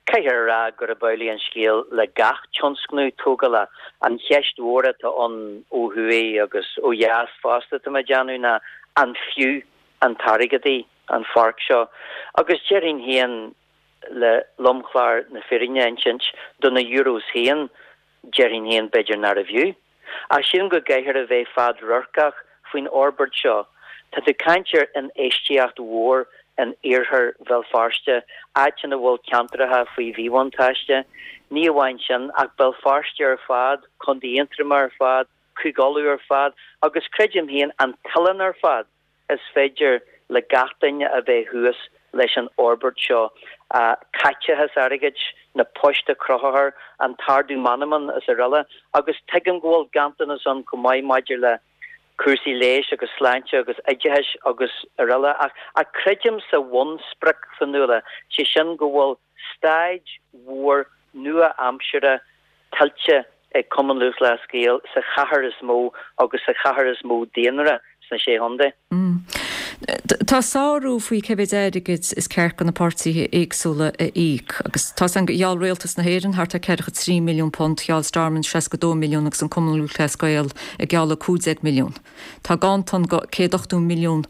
caithfear a rá gurb amhlaidh an scéal le gach tionscnamh tógála. An cheist mhór atá ann ó thuaidh agus ó dheas fosta, tá mé ag déanamh, ná an fiú an t-airgead í an pháirc seo? Agus déarfainn féin, le lomchlár na fírinne a insint, do na Euros féin, déarfainn féin b'fhéidir nárbh fhiú. Ach sílim go gcaithfear a bheith fadradharcach faoin fhorbairt seo. Tá tú ag caint ar infheistíocht mhór in iarthar Bhéal Feirste, áit ina bhfuil ceantracha faoi mhíbhuntáiste. Ní amháin sin, ach Béal Feirste ar fad, Contae Aontroma ar fad, Cúige Uladh ar fad, agus creidim féin, an t-oileán ar fad. Is féidir le gach duine a bheith thuas leis an fhorbairt seo. Caiteachas airgid, na poist a chruthófar, an t-ardú meanman is araile. Agus tuigim go bhfuil ganntanas ann chomh maith maidir le cúrsaí leighis agus sláinte agus oideachais agus araile. Ach creidim sa bhunsprioc, Fionnuala, sé sin go bhfuil staid mhór nua-aimseartha tuillte ag Cumann Lúthchleas Gael sa chathair is mó agus sa chathair is mó daonra sna Sé Chontae. Tá sárú faoi cé mhéid airgid is ceart do na páirtithe éagsúla a íoc agus tá a fhios againn gur gheall Rialtas na hÉireann thart ar £43 milliún, gheall Stormont 62 milliún agus an Cumann Lúthchleas Gael ag gealladh 15 milliún. Tá ganntan de £180 milliún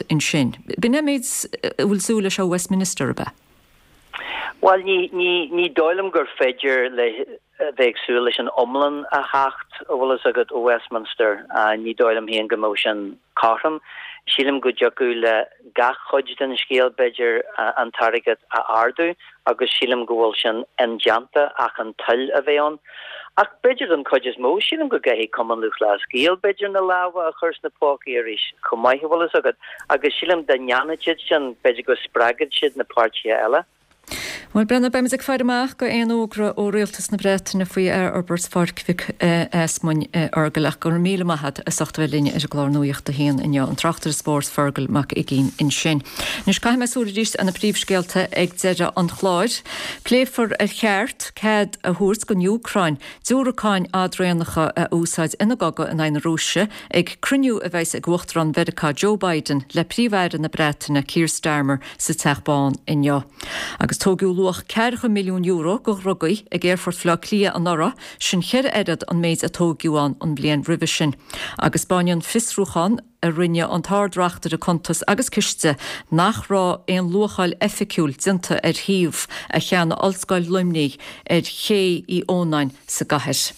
ansin. B'in é an méid a bhfuil súil leis ó Westminster, ab ea? Bhuel, ní, ní, ní dóigh liom gur féidir le, a bheith ag súil leis an iomlán a theacht, a bhfuil fhios agat, ó Westminster. Ní dóigh liom féin go mbeadh sin cothrom. Sílim go dtiocfadh le gach cuid den scéal, b'fhéidir, an t-airgead a ardú agus sílim go bhfuil sin indéanta ach an toil a bheith ann. Ach b'fhéidir don chuid is mó, sílim go gcaithfidh Cumann Lúthchleas Gael, b'fhéidir, na lámha a chur sna pócaí arís chomh maith, a bhfuil fhios agat. Agus sílim dá ndéanfadh siad sin, b'fhéidir go spreagfadh siad na páirtithe eile. Bhuel, Breandán, beimid ag faire amach go aon fhógra ó Rialtas na Breataine faoi athfhorbairt Pháirc Mhic Easmainn, a Fheargail, ach go raibh míle maith agat as ucht a bheith linn ar an gclár Nuacht a hAon inniu. An tráchtaire spóirt Fergal Mac Uiginn ansin. Anois caithfidh mé súil arís ar na príomhscéalta ag deireadh an chláir. Pléifear ar cheart cead a thabhairt don Úcráin diúracáin fhadraonacha a úsáid ina gcogadh in aghaidh na Rúise ag cruinniú a bheas ag Uachtarán Mheiriceá Joe Biden le Príomh-Aire na Breataine Keir Starmer sa Teach Bán inniu. Agus tóigeadh luach €40 milliún de dhrugaí ag Aerfort Bhaile Átha Cliath anuraidh, sin cheithre oiread an méid a tóigeadh ann an bhliain roimhe sin. Agus 'spáineann fiosrúchán a rinne an tArd-Reachtaire Cuntas agus Ciste nach raibh aon luacháil oifigiúil déanta ar shuíomh a cheannaigh Ollscoil Luimnigh ar Ché Uí Ónáin sa gcathair.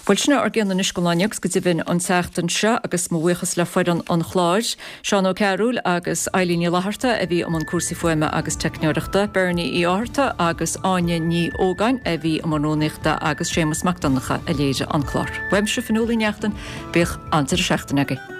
Bhuel, sin ár gcion anois don lá inniu agus go deimhin an tseachtain seo agus mo bhuíochas le foireann an chláir, Seán Ó Cearúil agus Eilín Ní Fhlatharta a bhí i mbun cúrsaí fuaime agus teicneoireachta, Bernie Uí Fhátharta agus Áine Ní Ógáin a bhí i mbun rúnaíochta agus Séamus Mac Donncha a léirigh an clár. Uaimse, Fionnuala Ní Neachtain, bíodh an-deireadh seachtaine agaibh.